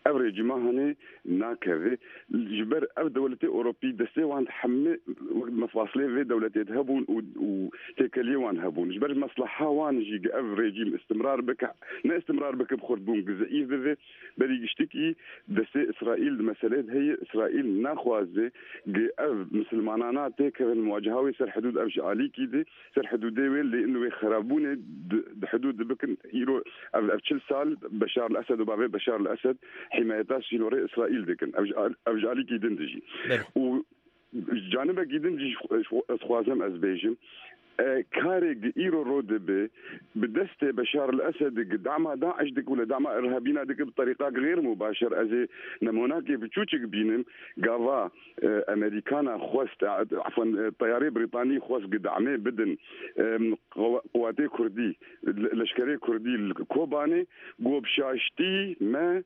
ev rejîma hanê nakeve. Ji ber ev dewletê Ewropî destê wan di hemû wek mefasilê vê dewletê de hebûn û û têkeliyê wan hebûn. Ji ber mesleha wan jî ev rejîm istimrar bike, ne istimrar bike bi xurtbûn gi zeîf bibe. Berî giştikî destê Îsraîl di meseleyê de heye, Îsraîl naxwaze gi ev misilmanana têkevin muwaceha wê ser hidûd ev ji alîkî de ser hidûdê wê lê in wê xerabûnê di hidûd de bikin. Îro ev ev 40 sal Beşar el Esed û bavê Beşar el Esed hîmayeta sînorê Îsraîl dikin. Ev ji ev ji alîkî din dijî. Û canibekî din jî ez dixwazim ez bêjim karê gi îro ro dibe bi destê Beşar el Esed gi dama Daiş dike û li dama irhabîna dike bi terîqa gêr mubaşer ez ê nemonakê biçûçik bînim gava Amerîkana xwest efwan teyarê Brîtanî xwest gi damê bidin quwatê Kurdî leşkerê Kurdî li Kobanê got bi şaştî me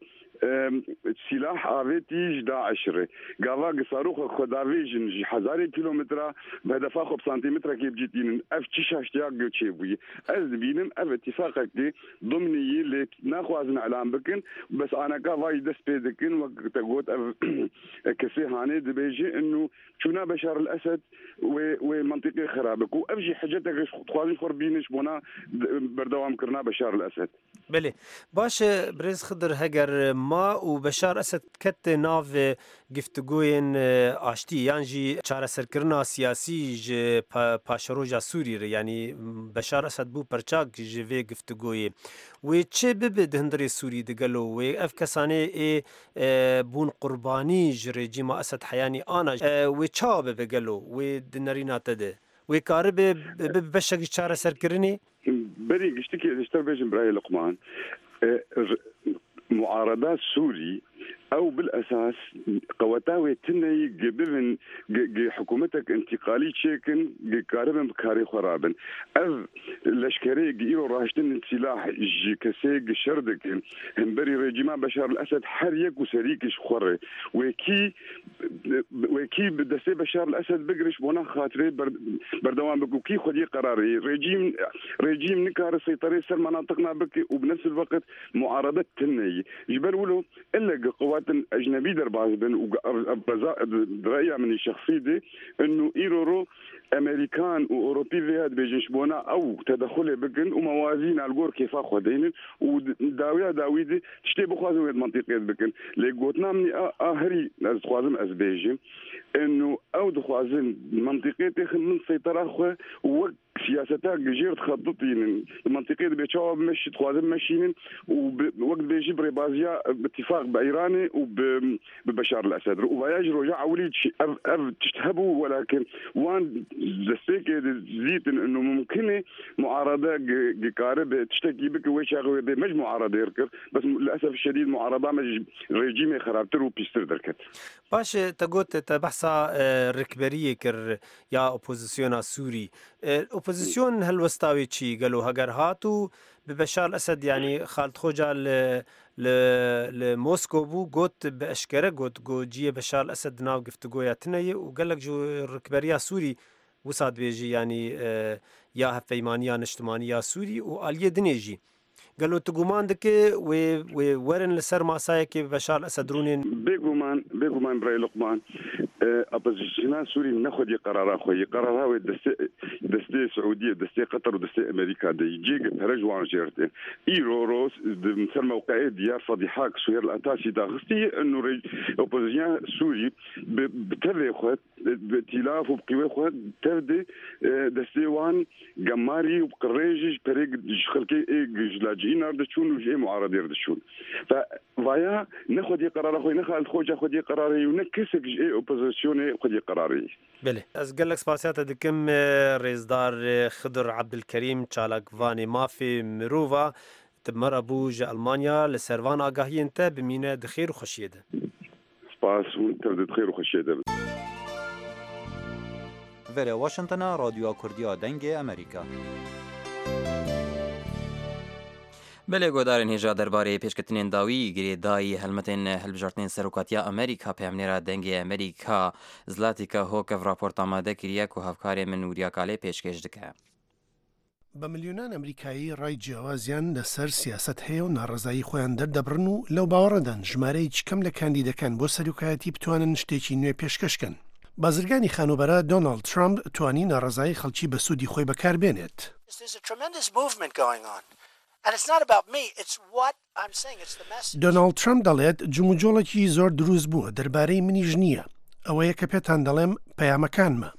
Sîlah avêtî ji DAIŞ re. Gava gi saroxek xwe davêjin ji hezarê kîlometra bi hedefa xwe bi santîmetrekê bi cî tînin. Ev çi şaştiya gi çêbûye? Ez dibînim ev îtîfaqekê dimnî yî lê naxwazin elan bikin. Bes aneka vayî dest pê dikin wek te got ev kesê hanê dibêje inu çûna Beşar el Esed wê wê mentiqê xerab bike û ev jî heceteke dixwazin ji xwe re bînin ji bona berdewamkirina Beşar el Esed. Belê. Baş e Birêz Xidir heger ma û Beşar Esed ket nav giftigoyên aştî yan jî çareserkirina siyasî ji paşeroja Sûrî re yanî Beşar Esed bû perçak ji vê giftigoyê wê çi bibe di hundirê Sûrî de gelo wê ev kesanê ê bûn qurbanî ji rejîma Esed heyanî ana wê çawa bibe gelo wê di nerîna te de wê karibe bibe beşek ji çareserkirinê? Berî giştikê ez ji te bêjim birayê Luqman, muarada Sûrî ew bil esas qeweta wê tineyî gi bibin gi hikûmetek întîqalî çêkin gi karibin bi karê xwe rabin. Ev leşkerê gi îro raştin sîlah ji kesê gi şer dikin himberî rejîma Beşar el Esed her yek û serîkî ji xwe re wê kî Wê kî bi destê Beşar el Esed bigire ji bona xatirê berdewam bike û kî xwediyê qerarê ye. Rejîm rejîm nikare seyterê ser menatiqna bike û bi nefs el weqt muarede tune ye. Ji ber wilo ille gi quwetin ecnebî derbas bin û ev beza di reya min ê şexsî de inu îro ro Amerîkan û Ewropî vêya dibêjin ji bona ew tedexulê bikin û mewazîna li gor kêfa xwe deynin û dawiya dawî de tiştê bixwazin wê di mentiqê de bikin. Lê gotina min a a herî ez dixwazim ez bêjim ino ew dixwazin mentiqê têxin bin seytera xwe û wek siyaseta gijêr dixebitînin di mentiqê de bê çawa bimeşî dixwazin bimeşînin û wek dibêjî bi rêbaziya bi tîfaq bi Îranê û bi bi Beşar el Esed re û vaya ji roja ewilî ev ev tişt hebû welakin wan destpêkê de dîtin ino mumkin e muarade dikare tiştekî bike wê çaxê wê bê me ji muaradê re kir bes li esef şedîd muarada me ji rejîmê xerabtir û pîstir derket. Baş e te got te behsa rikberiyê kir ya opozisyona Sûrî. Opozisyon helwesta wê çi gelo heger hat û bi Beşar Esed yanî Xalid Xoca li Li li Moskow bû, got bi eşkere got ku ciyê Beşar el-Esed di nav giftigoya tune ye û gelek ji rikberiya Sûrî wisa dibêje yanî ya Hevpeymaniya Niştimanî ya Sûrî û aliyê dinê jî. Gelo tu guman dike wê wê werin li ser masayekê bi Beşar el-Esed rûnên? Bêguman, bêguman birayê Luqman, Opozisyona Sûrî ne xwedî qerara xwe ye. Qerara wê destê destê Siûdiyê, destê Qeter û destê Amerîka de ye. Cihê pere ji wan jêr tê. Îro roj di ser mewqeyê diyar fedîha ku Suhêr El Etasî daxistiye û opozisyona Sûrî bi bi tevê xwe bi îtîlaf û bi qîwê xwe tev di destê wan gemarî û bi qirêjî ji perê ji xelkê ê ji laciîna re diçûn û ji ê muaredê re diçûn. Fe vaya ne xwedî qerara xwe ye, ne Xalid Xoca xwedî qerarê ye û ne kesek ji ê opozisyonê xwedî qerarê ye. Belê. Ez gelek spasiya te dikim rêzdar Xidir Ebdulkerîm çalakvanê mafê mirova tu bi me re bû ji Elmanya li ser van agahiyên te bimîne di xêr û xweşiyê de. Spas hûn tev di xêr û xweşiyê de bin. Verê Washington a Radyoya Kurdî a Dengê Amerîka. Belê guhdarên hêja derbarê pêşketinên dawî girêdayî helmetên hilbijartinên Serokatiya Amerîka peyamnêra Dengê Amerîka Zlatika Hokev raport amade kiriye ku hevkarê min Nûriya Kalê pêşkêş dike. بە ملیۆنان ئەمریکایی ڕای جیاوازیان لەسەر سیاسەت هەیە و ناڕەزایی خۆیان دەردەبڕن و لەو باوەڕەدان ژمارەیەکی کەم لە کاندیدەکان بۆ سەرۆکایەتی بتوانن شتێکی نوێ پێشکەش کەن. بازرگانی خانووبەرە دۆناڵد ترەمپ توانی ناڕەزایی خەڵکی بە سوودی خۆی بەکاربێنێت. دۆناڵد ترەمپ دەڵێت، جموجۆڵێکی زۆر دروست بووە، دەربارەی منیش نییە، ئەوەیە کە پێتان دەڵێم پەیامەکانمە.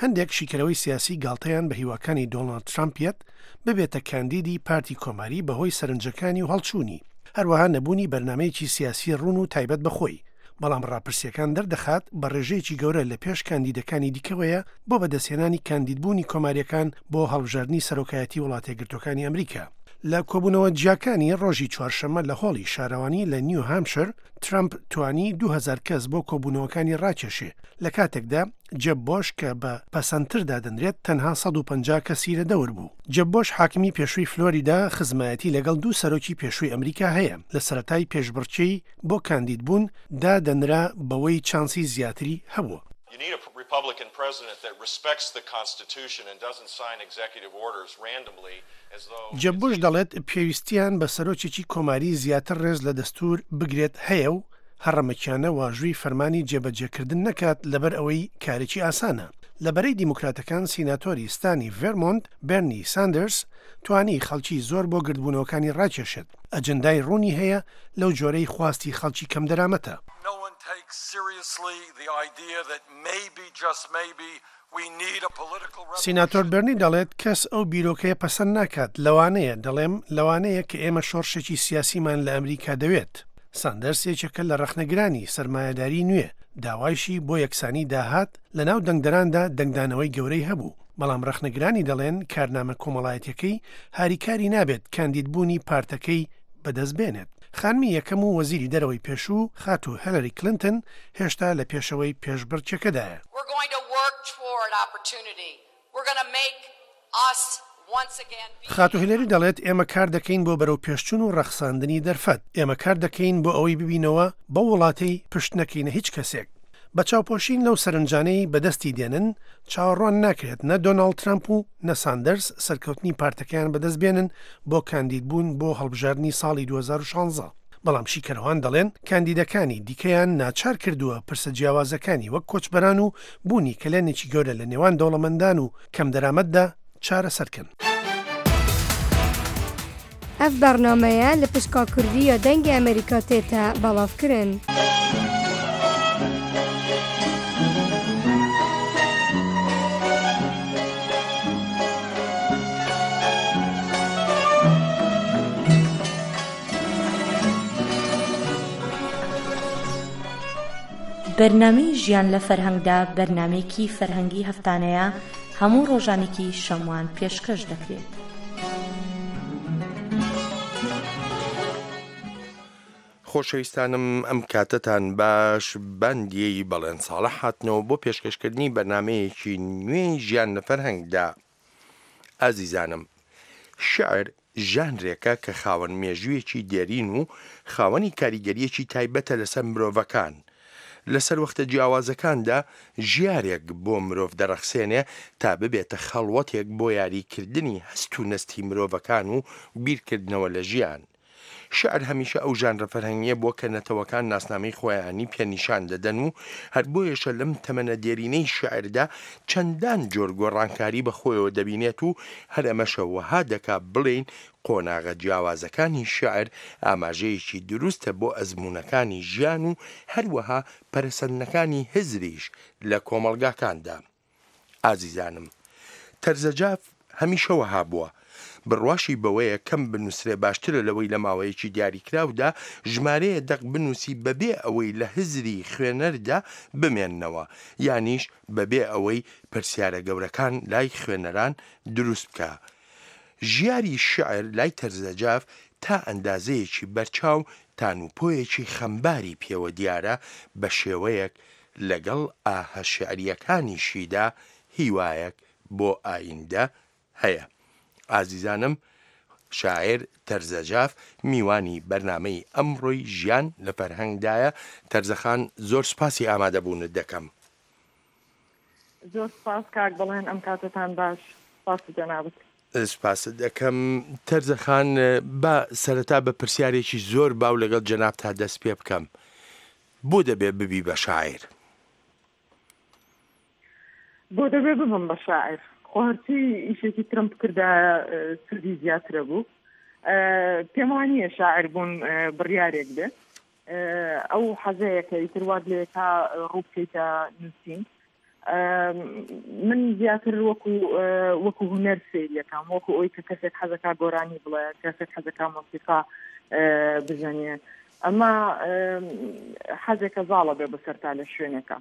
هەندێک شیکەرەوەی سیاسی گاڵتەیان بە هیواکانی دۆناڵد ترەمپ یەت ببێتە کاندیدی پارتی کۆماری بەهۆی سەرنجەکانی و هەڵچوونی، هەروەها نەبوونی بەرنامەیەکی سیاسی ڕوون و تایبەت بە خۆی، بەڵام ڕاپرسییەکان دەردەخات بە ڕێژەیەکی گەورە لە پێش کاندیدەکانی دیکەوەیە بۆ بەدەستهێنانی کاندیدبوونی کۆمارییەکان بۆ هەڵبژاردنی سەرۆکایەتی وڵاتەیەکگرتووەکانی ئەمریکا. لە کۆبوونەوە جیاکانی ڕۆژی چوارشەممە لە هۆڵی شارەوانی لە نیو هامشر، ترەمپ توانی 2000 کەس بۆ کۆبوونەوەکانی ڕاکێشێ، لە کاتێکدا جێب بۆش کە بە پەسەندتر دادەنرێت تەنها 150 کەسی لە دەور بوو. جێب بۆش حاکمی پێشووی فلۆریدا خزمایەتی لەگەڵ دوو سەرۆکی پێشووی ئەمریکا هەیە، لە سەرەتای پێشبڕکێی بۆ کاندیدبوون دادەنرا بەوەی چانسی زیاتری هەبووە. You need a Republican president that respects the Constitution and doesn't sign executive orders randomly as though جێب بوش دەڵێت پێویستیان بە سەرۆکێکی کۆماری زیاتر ڕێز لە دەستوور بگرێت هەیە و هەڕەمەکیانە واژووی فەرمانی جێبەجێکردن نەکات لەبەر ئەوەی کارێکی ئاسانە. لە بەرەی دیموکراتەکان سیناتۆری ستانی ڤێرمۆنت بێرنی ساندەرس توانی خەڵکی زۆر بۆ گردبوونەوەکانی ڕاکێشێت. ئەجندای ڕوونی هەیە لەو جۆرەی خواستی خەڵکی کەمدەرامەتە. سیناتۆر بێرنی دەڵێت کەس ئەو بیرۆکەیە پەسەند ناکات، لەوانەیە، دەڵێم لەوانەیە کە ئێمە شۆڕشێکی سیاسیمان لە ئەمریکا دەوێت. ساندەرس یەکێکە لە ڕەخنەگرانی سەرمایەداری نوێ، داوایشی بۆ یەکسانی داهات لەناو دەنگدەراندا دەنگدانەوەی گەورەی هەبوو، بەڵام ڕەخنەگرانی دەڵێن کارنامە کۆمەڵایەتیەکەی هاریکاری نابێت کاندیدبوونی پارتەکەی بەدەست بێنێت. خانمی یەکەم و وەزیری دەرەوەی پێشوو، خاتوو هێلەری کلنتن هێشتا لە پێشەوەی پێشبڕکێکەدایە. خاتوو هیلەری دەڵێت ئێمە کار دەکەین بۆ بەرەوپێشچوون و ڕەخساندنی دەرفەت. ئێمە کار دەکەین بۆ ئەوەی ببینەوە بەو وڵاتەی پشت نەکەینە هیچ کەسێک. بە چاوپۆشین لەو سەرنجانەی بەدەستی دێنن، چاوەڕوان ناکرێت نە دۆناڵد ترەمپ و نە ساندەرس سەرکەوتنی پارتەکەیان بەدەست بێنن بۆ کاندیدبوون بۆ هەڵبژاردنی ساڵی 2016. بەڵام شیکەرەوان دەڵێن کاندیدەکانی دیکەیان ناچار کردووە پرسە جیاوازەکانی وەک کۆچبەران و بوونی کەلێنێکی گەورە لە نێوان دەوڵەمەندان و کەمدەرامەتدا چارەسەر کەن. Ev bernameye li pişka Kurdî ya Dengê Amerîka tête belavkirin. بەرنامەی ژیان لە فەرهەنگدا بەرنامەیەکی فەرهەنگی هەفتانەیە هەموو ڕۆژانێکی شەموان پێشکەش دەکرێت. خۆشەویستانم ئەم کاتەتان باش باندیەی بەڵێن ساڵح هاتنەوە بۆ پێشکەشکردنی بەرنامەیەکی نوێی ژیان لە فەرهەنگدا. ئازیزانم شیعر ژانرێکە کە خاوەن مێژوویەکی دێرین و خاوەنی کاریگەرییەکی تایبەتە لەسەر مرۆڤەکان. لە سەروەختە جیاوازەکاندا ژیارێک بۆ مرۆڤ دەڕەخسێنێ تا ببێتە خەڵوەتێک بۆ یاریکردنی هەست و نەستی مرۆڤەکان و بیرکردنەوە لە ژیان. شیعر هەمیشە ئەو ژانرە فەرهەنگییە بووە کە نەتەوەکان ناسنامەی خۆیانی پێ نیشان دەدەن و هەر بۆیەشە لەم تەمەنە دێرینەی شیعردا چەندان جۆر گۆڕانکاری بە خۆیەوە دەبینێت و هەر ئەمەشە وەها دەکا بڵێین قۆناغە جیاوازەکانی شیعر ئاماژەیەکی دروستە بۆ ئەزموونەکانی ژیان و هەروەها پەرەسەندنەکانی هزریش لە کۆمەڵگاکاندا. ئازیزانم تەرزەجاف هەمیشە وەها بووە، بڕواشی بەوەیە کەم بنووسرێ باشترە لەوەی لە ماوەیەکی دیاریکراودا ژمارەیە دەق بنووسی بەبێ ئەوەی لە هزری خوێنەردا بمێننەوە یانیش بەبێ ئەوەی پرسیارە گەورەکان لای خوێنەران دروست بکا. ژیاری شیعر لای تەرزەجاف تا ئەندازەیەکی بەرچاو تانوپۆیەکی خەمباری پێوە دیارە بە شێوەیەک لەگەڵ ئاهە شیعرییەکانیشیدا هیوایەک بۆ ئایندە هەیە. ئازیزانم شاعیر تەرزە جاف میوانی بەرنامەی ئەمڕۆی ژیان لە فەرهەنگدایە، تەرزە خان زۆر سوپاسی ئامادەبوونت دەکەم. زۆر سوپاس کاک بەڵێن ئەم کاتەتان باش سوپاسی جەنابت. سپاست دەکەم تەرزە خان، با سەرەتا بە پرسیارێکی زۆر باو لەگەڵ جەنابتا دەست پێ بکەم، بۆ دەبێ ببی بە شاعیر؟ بۆ دەبێ ببم بە شاعیر؟ خۆ هەرچی ئیشێکی ترم بکردایە سوودی زیاترە بوو. پێم وا نییە شاعیر بوون بڕیارێک بێ. ئەو حەزەیە کە ئیتر وات لێکا ڕوو بکەیتە نووسین. من زیاتر وەکو وەکو هونەر سەیریەکەم وەکو ئەوی کە کەسێک حەزەکا گۆرانی بڵێ کەسێک حەزەکا مۆسیقا بژەنێ ئەمە حەزێکە زاڵە بێ بەسەرتا لە شوێنێکە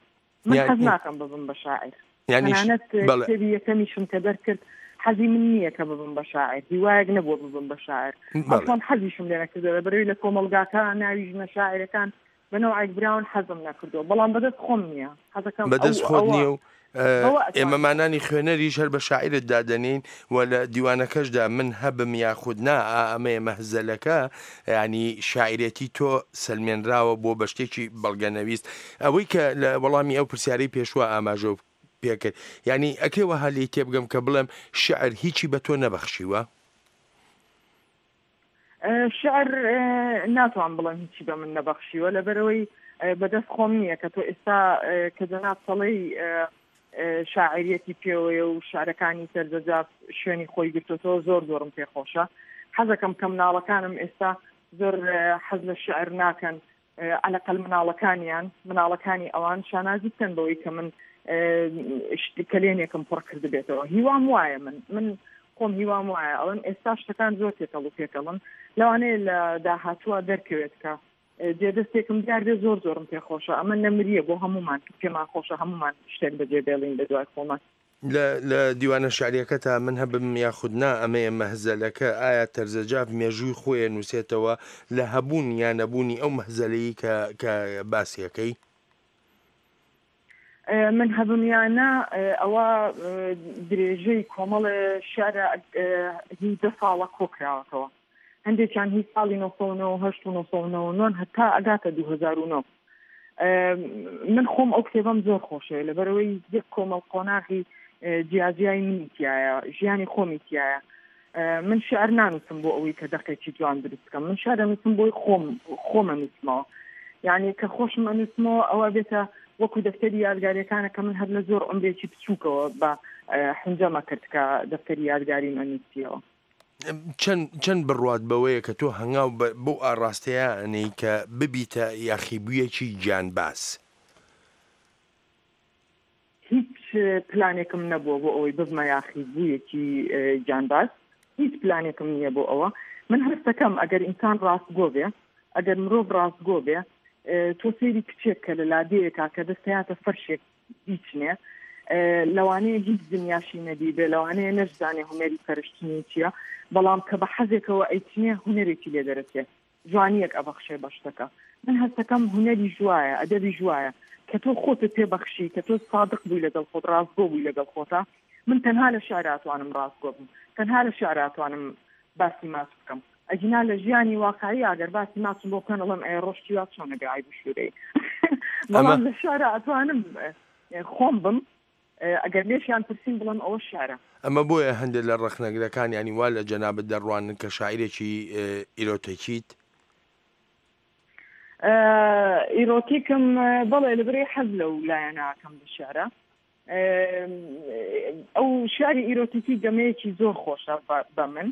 من حەز ناکەم ببم بە شاعیر تەنانەت کتێبی یەکەمیشم کە دەرکرد حەزی من نییە کە ببم بە شاعیر هیوایەک نەبووە ببم بە شاعیر ئەسڵەن حەزیشم لێ نەکردەوە بەرەوی لە کۆمەڵگاکە ناوی ژنە شاعیرەکان بە نەوعێک براون حەزم نەکردووە بەڵام بەدەست خۆم نییە حەزەکەم بەدەست خۆت نییە و ئێمەمانانی خوێنەریش هەر بە شاعیرت دادەنین و لە دیوانەکەشدا من هەبم یاخود نا ئا ئەمەیە مەهزەلەکە ینی شاعیرێتی تۆ سەلمێنراوە بۆ بە شتێکی بەڵگەنەویست ئەوەی کە لە وەڵامی ئەو پرسیارەی پێشوە ئاماژە پێکرد یعنی ئەکرێ وەها لێی تێبگەم کە بڵێم شعر هیچی بە تۆ نەبەخشیوە؟ شعر ناتوان بڵێم هیچی بە من نەبەخشیوە لەبەرەوەی بەدەست خۆم نییە کە تۆ ئێستا کە جەناب سەڵی شاعریەتی پێوەیە و شعرەکانی سەرجەجاف شوێنی خۆی گرتوتەوە زۆر زۆرم پێخۆشە حەزەکەم کە مناڵەکانم ئێستا زۆر حەز لە شعر ناکەن عەلەقەل مناڵەکانیان، مناڵەکانی ئەوان شانازی بکەن بەوەی کە من کەلێنێکم پڕ کردبێتەوە. هیوام وایە من من خۆم هیوام وایە ئەڵێم ئێستا شتەکان زۆر تێکەڵ و پێکەڵن لەوانەیە لە داهاتووە دەرکەوێت کە جێدەستێکم دیار بێ زۆر زۆرم پێخۆشە ئەمە نەمریە بۆ هەمومان کە پێمان خۆشە هەمومان شتێک بەجێ بێڵین لە دوای خۆمان. لە لە دیوانە شعریەکەتا من هەبم یاخود نا ئەمەیە مەهزەلەکە ئایا تەرزەجاف مێژووی خۆی ئەنووسێتەوە لە هەبوون یا نەبوونی ئەو مەهزەلەی کە کە باسی ئەکەی؟ من هەبم یا نا ئەوە درێژەی کۆمەڵێ شعرە هی دە ساڵە کۆکراوەتەوە هەندێکیان هی ساڵی 1998 و 1999 هەتا ئەگاتە 2009 من خۆم ئەو کتێبەم زۆر خۆشەوێ لەبەرەوەی یەک کۆمەڵ قۆناغی جیاجیای منی تایە ژیانی خۆمی تایە من شعر نانووسم بۆ ئەوەی کە دەقێکی جوان دروست بکەم من شعر ئەنووسم بۆی خۆم خۆم ئەنووسمەوە یعنی کە خۆشم ئەنووسمەوە ئەوە بێتە وەکو دەفتەری یادگاریەکانە کە من هەر لە زۆر عمرێکی بچووکەوە بە حنجەمە کرد کە دەفتەری یادگاریم ئەنووسیەوە. چەند چەند بڕوات بەوەیە کە تۆ هەنگاو بەو ئاڕاستەیە ئەنێی کە ببیتە یاخیبوویەکی گیانباز؟ هیچ پلانێکم نەبووە بۆ ئەوەی ببمە یاخیبوویەکی گیانباز، هیچ پلانێکم نییە بۆ ئەوە. من هەستەکەم ئەگەر ئینسان ڕاستگۆ بێ، ئەگەر مرۆڤ ڕاستگۆ بێ، تۆ سەیری کچێک کە لە لادێیەکا کە دەستەیاتە فەرشێک بیچنێ، لەوانەیە هیچ دنیاشی نەدیبێ، لەوانەیە نەشزانێ هونەری فەرشچنین چییە، بەڵام کە بە حەزێکەوە ئەیچنێ هونەرێکی لێ دەرەچێ. جوانییەک ئەبەخشێ بە شتەکە. من هەستەکەم هونەریش وایە، ئەدەبیش وایە، کە تۆ خۆتت پێ بەخشی، کە تۆ سادق بووی لەگەڵ خۆت، ڕاستگۆ بووی لەگەڵ خۆتا، من تەنها لە شیعرا ئەتوانم ڕاستگۆ بم، تەنها لە شیعرا ئەتوانم باسی ماچ بکەم، ئەگینا لە ژیانی واقعی ئەگەر باسی ماچم بۆ بکەن ئەڵێم ئەی ڕۆشتی وا چۆن ئەبێ عەیب و شوورەیی. بەڵام لە شیعرا ئەتوانم خۆم بم، ئەگەر لێشیان پرسیم بڵێم ئەوە شیعرە. ئەمە بۆیە هەندێک لە ڕەخنەگرەکان یانی وا لە جەنابت دەڕوانن کە شاعیرێکی ئیرۆتێکیت؟ ئیرۆتیکم بەڵێ لەبەرئەوەی حەز لەو لایەنە ئەکەم لە شیعرا. ئەو شیعری ئیرۆتیکی گەمەیەکی زۆر خۆشە بە من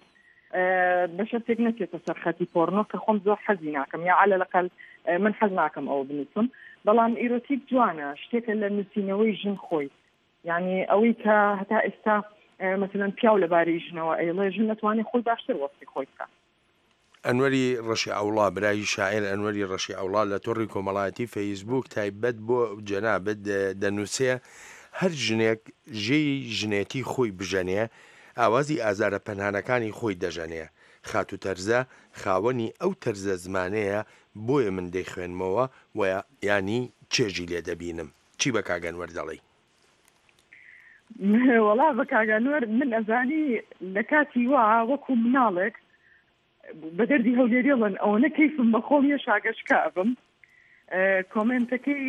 بە شەرتێک نەچێتە سەر خەتی پۆرنۆ کە خۆم زۆر حەزی ناکەم یا عەلە لەقەل من حەز ناکەم ئەوە بنووسم بەڵام ئیرۆتیک جوانە شتێکە لە نووسینەوەی ژن خۆی یعنی ئەوەی کە هەتا ئێستا مەسەلەن پیاو لەبارەی ژنەوە ئەیڵێ ژن ئەتوانێ خۆی باشتر وەسفی خۆی بکا. ئەنوەری ڕەشی عەوڵا، برای شاعیر ئەنوەری ڕەشی عەوڵا لە تۆڕی کۆمەڵایەتی فەیسبووک تایبەت بۆ جەنابت دەنووسێ، هەر ژنێک ژێی ژنێتی خۆی بژەنێ، ئاوازی ئازارە پەنهانەکانی خۆی دەژەنێ. خاتوو تەرزە خاوەنی ئەو تەرزە زمانەیە بۆیە من دەیخوێنمەوە و یانی چێژی لێ دەبینم. چی بە کاک ئەنوەر دەڵێی؟ وەڵا بە کاک ئەنوەر من ئەزانی لە کاتی وا وەکوو مناڵێک بە دەردی هەولێریڵن ئەوەنە کەیفم بە خۆم یە شاگەشکە ئەبم کۆمێنتەکەی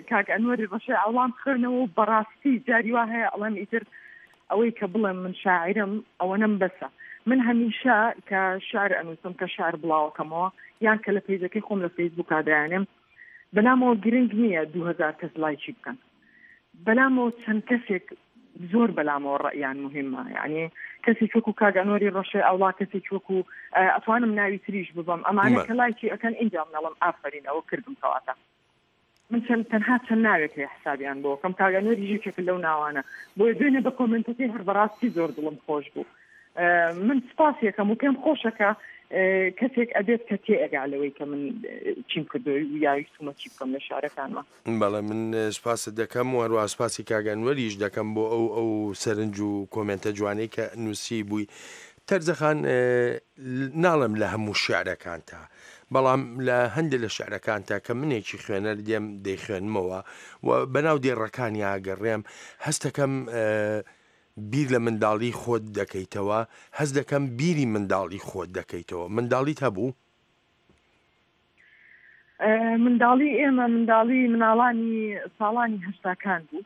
کاک ئەنوەری ڕەشەی عەوڵام خوێنەوە و بەڕاستی جاری وا هەیە ئەڵێم ئیتر ئەوەی کە بڵێم من شاعیرم ئەوەنەم بەسە. من هەمیشە کە شعر ئەنووسم، کە شعر بڵاوەکەمەوە یان کە لە پەیجەکەی خۆم لە فەیسبووکا دایانێم، بەلامەوە گرنگ نییە 2000 کەس لایکی بکەن. بەلامەوە چەند کەسێک زۆر بەلامەوە ڕەئیان موهیمە. یانی کەسێکی وەکوو کاک ئەنوەری ڕەشێ ئەوڵا، کەسێکی وەکوو ئەتوانم ناوی تریش ببەم، ئەمانە کە لایکی ئەکەن ئینجا من ئەڵێم ئافەرین ئەوە کردم کەواتە. من چەند تەنها چەند ناوێک هەیە حسابیان بۆ کەم کاک ئەنوەریش یەکێکە لەو ناوانە بۆیە دوێنێ بە کۆمێنتەکەی هەر بەڕاستی زۆر دڵم خۆش بوو من سپاس یەکەم و پێم خۆشە کە کەسێک ئەبێت کە تێ ئەگا لەوەی کە من چیم کردو یاویستومە چی بکەم لە شارەکانمە. بەڵێ من سپاست دەکەم و هەروەها سپاسی کاک ئەنوەریش دەکەم بۆ ئەو ئەو سەرنج و کۆمێنتە جوانەی کە نووسی بووی تەرزە خان ناڵێم لە هەموو شعرەکانتا بەڵام لە هەندێک لە شعرەکانتا کە منێکی خوێنەر دێم دەیخوێنمەوە و بەناو دێڕەکانیا گەڕێم هەستەکەم بیر لە منداڵی خۆت دەکەیتەوە هەست دەکەم بیری منداڵی خۆت دەکەیتەوە منداڵیت هەبوو؟ منداڵی ئێمە منداڵی مناڵانی ساڵانی هەشتاکان بوو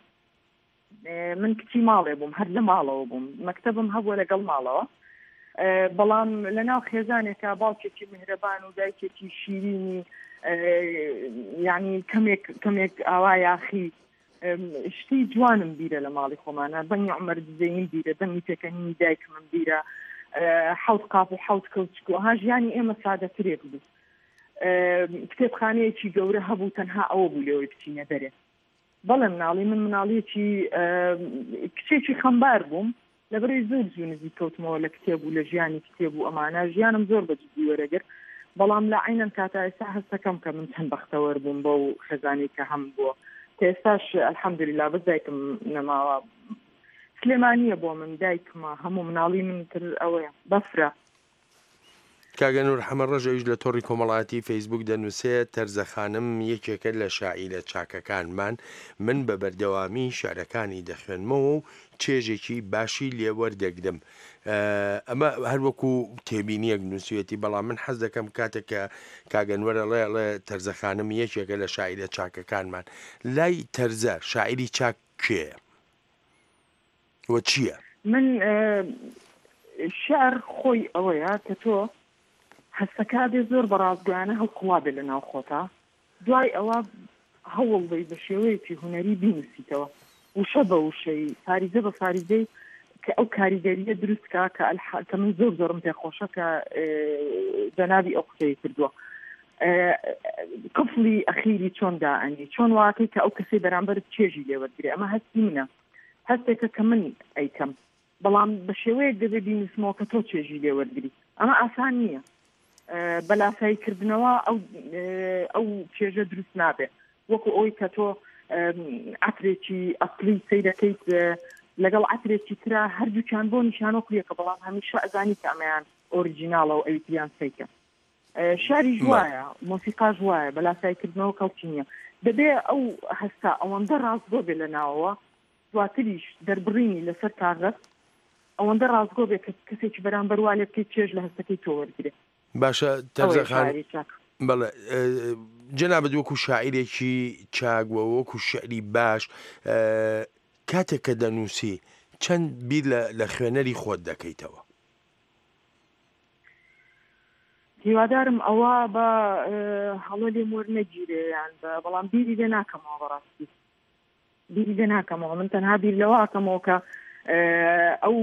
من کچی ماڵێ بووم هەر لە ماڵەوە بووم مەکتەبم هەبووە لەگەڵ ماڵەوە بەڵام لە ناو خێزانێکە باوکێکی میهرەبان و دایکێکی شیرینی یعنی کەمێک کەمێک ئاوا یاخی شتی جوانم بیرە لە ماڵی خۆمانە دەنگی عمر دزەیم بیرە دەنگی پێکەنینی دایکمم بیرە حەوت قاپ و حەوت کەوچک و ها ژیانی ئێمە سادەترێک بوو کتێبخانەیەکی گەورە هەبوو تەنها ئەوە بوو لێەوەی بچینە دەرێ بەڵێ مناڵی من مناڵیەکی کچێکی خەمبار بووم لەبەرەی زۆر زوو نزیک کەوتمەوە لە کتێب و لە ژیانی کتێب و ئەمانە ژیانم زۆر بە جدی وەرەگرت بەڵام لە عەینەن کاتا ئێستا هەستەکەم کە من چەند بەختەوەر بووم بەو خێزانی کە هەم بووە کە ئێستاش الحمدللە بەس دایکم نەماوە سلێمانیە بۆ من دایکمە هەموو مناڵی من تر ئەوەیە بەفرە. کاک ئەنوەر حەمەڕەش ئەویش لە تۆڕی کۆمەڵایەتی فەیسبووک دەنووسێت، تەرزە خانم یەکێکە لە شاعیرە چاکەکانمان، من بە بەردەوامی شیعرەکانی دەخوێنمەوە و چێژێکی باشی لێ وەردەگرم. ئەمە هەر وەکو تێبینییەک نووسیویەتی، بەڵام من حەز دەکەم کاتێک کە کاک ئەنوەر ئەڵێ ئەڵێ تەرزە خانم یەکێکە لە شاعیرە چاکەکانمان، لای تەرزە شاعیری چاک کێیە؟ و چییە؟ من شعر خۆی ئەوەیە کە تۆ هەستەکە بێ زۆر بە ڕاستگۆیانە هەڵقوڵا بێ لە ناو خۆتا دوای ئەوە هەوڵ بەی بە شێوەیەکی هونەری بینوسیتەوە وشە بە وشەی فاریزە بە فاریزەی کە ئەو کاریگەریە دروست کا کە کە من زۆر زۆرم پێخۆشە کە جەنابی ئەو قسەی کردووە قفڵی ئەخیری چۆن دائەنی چۆن واکەی کە ئەو کەسەی بەرامبەرت چێژی لێوەرگرێ ئەمە هەستی منە هەستێکە کە من ئەیکەم بەڵام بە شێوەیەک دەبێ بینوسمەوە کە تۆ چێژی لێ وەرگری ئەمە ئاسان نییە بە لاسایی کردنەوە ئەو ئەو چێژە دروست نابێ وەکو ئەوی کە تۆ عەترێکی ئەسلی سەیرەکەیت لەگەڵ عەترێکی ترا هەردووکیان بۆ نیشانۆک یەکە بەڵام هەمیشە ئەزانی کە ئەمەیان ئۆریجیناڵە و ئەوی تریان فەیکە شاریش وایە مۆسیقاش وایە بە لاسایکردنەوە کەڵکی نییە دەبێ ئەو هەستە ئەوەندە ڕاستگۆ بێ لە ناوەوە دواتریش دەربڕینی لەسەر کاغەز ئەوەندە ڕاستگۆ بێ کە کەسێکی بەرامبەر وا لێ بکەیت چێژ لە هەستەکەی تۆ وەرگرێ. باشە تەرزە خان بەڵێ جەنابت وەکو شاعیرێکی چاک و وەکو شعری باش کاتێک کە دەنووسی چەند بیر لە خوێنەری خۆت دەکەیتەوە؟ هیوادارم ئەوە بە هەڵە لێم وەرنەگیرێ یان بە بەڵام بیری لێ ناکەمەوە بەڕاستی بیری لێ ناکەمەوە من تەنها بیر لەوە ئەکەمەوە کە ئەو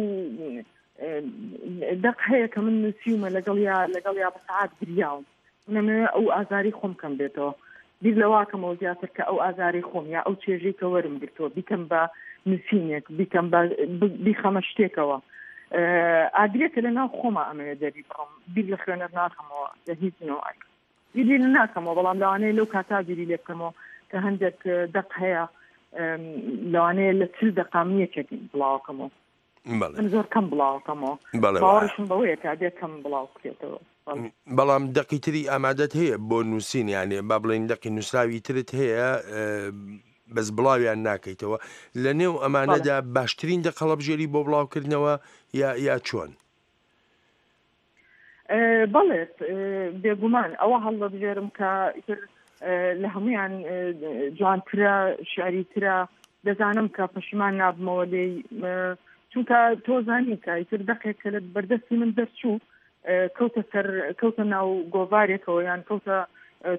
دەق هەیە کە من نووسیومە لەگەڵ یا لەگەڵ یا بە سەعات گریاوم منەمەوێ ئەو ئازاری خۆم کەم بێتەوە بیر لەوە ئەکەمەوە زیاتر کە ئەو ئازارەی خۆم یا ئەو چێژەی کە وەرم گرتووە بیکەم بە نووسینێک بیکەم بە بیخەمە شتێکەوە ئاگرێکە لە ناو خۆما ئەمەوێ دەری بڕم بیر لە خوێنەر ناکەمەوە لە هیچ نەوعێک بیری لێ ناکەمەوە بەڵام لەوانەیە لەو کاتا بیری لێ بکەمەوە کە هەندێک دەق هەیە لەوانەیە لە چل دەقا من یەکێک بڵاوکەمەوە من زۆر کەم بڵاوکەمەوە باوەڕیشم بەوەیە کە ئەبێ کەم بڵاو بکرێتەوە. بەڵام دەقی تری ئامادەت هەیە بۆ نووسین یانێ با بڵێین دەقی نووسراوی ترت هەیە بەس بڵاویان ناکەیتەوە لە نێو ئەمانەدا باشترین دەق هەڵەبژێری بۆ بڵاوکردنەوە یا یا چۆن؟ بەڵێ بێگومان ئەوە هەڵدەبژێرم کە ئیتر لە هەمویان جوانترە شعریترە دەزانم کە پەشیمان نابمەوە لێی. چونکە تۆ زانی کە ئیتر دەقێک کە لە بەردەستی من دەرچوو کەوتە سەر کەوتە ناو گۆڤارێکەوە یان کەوتە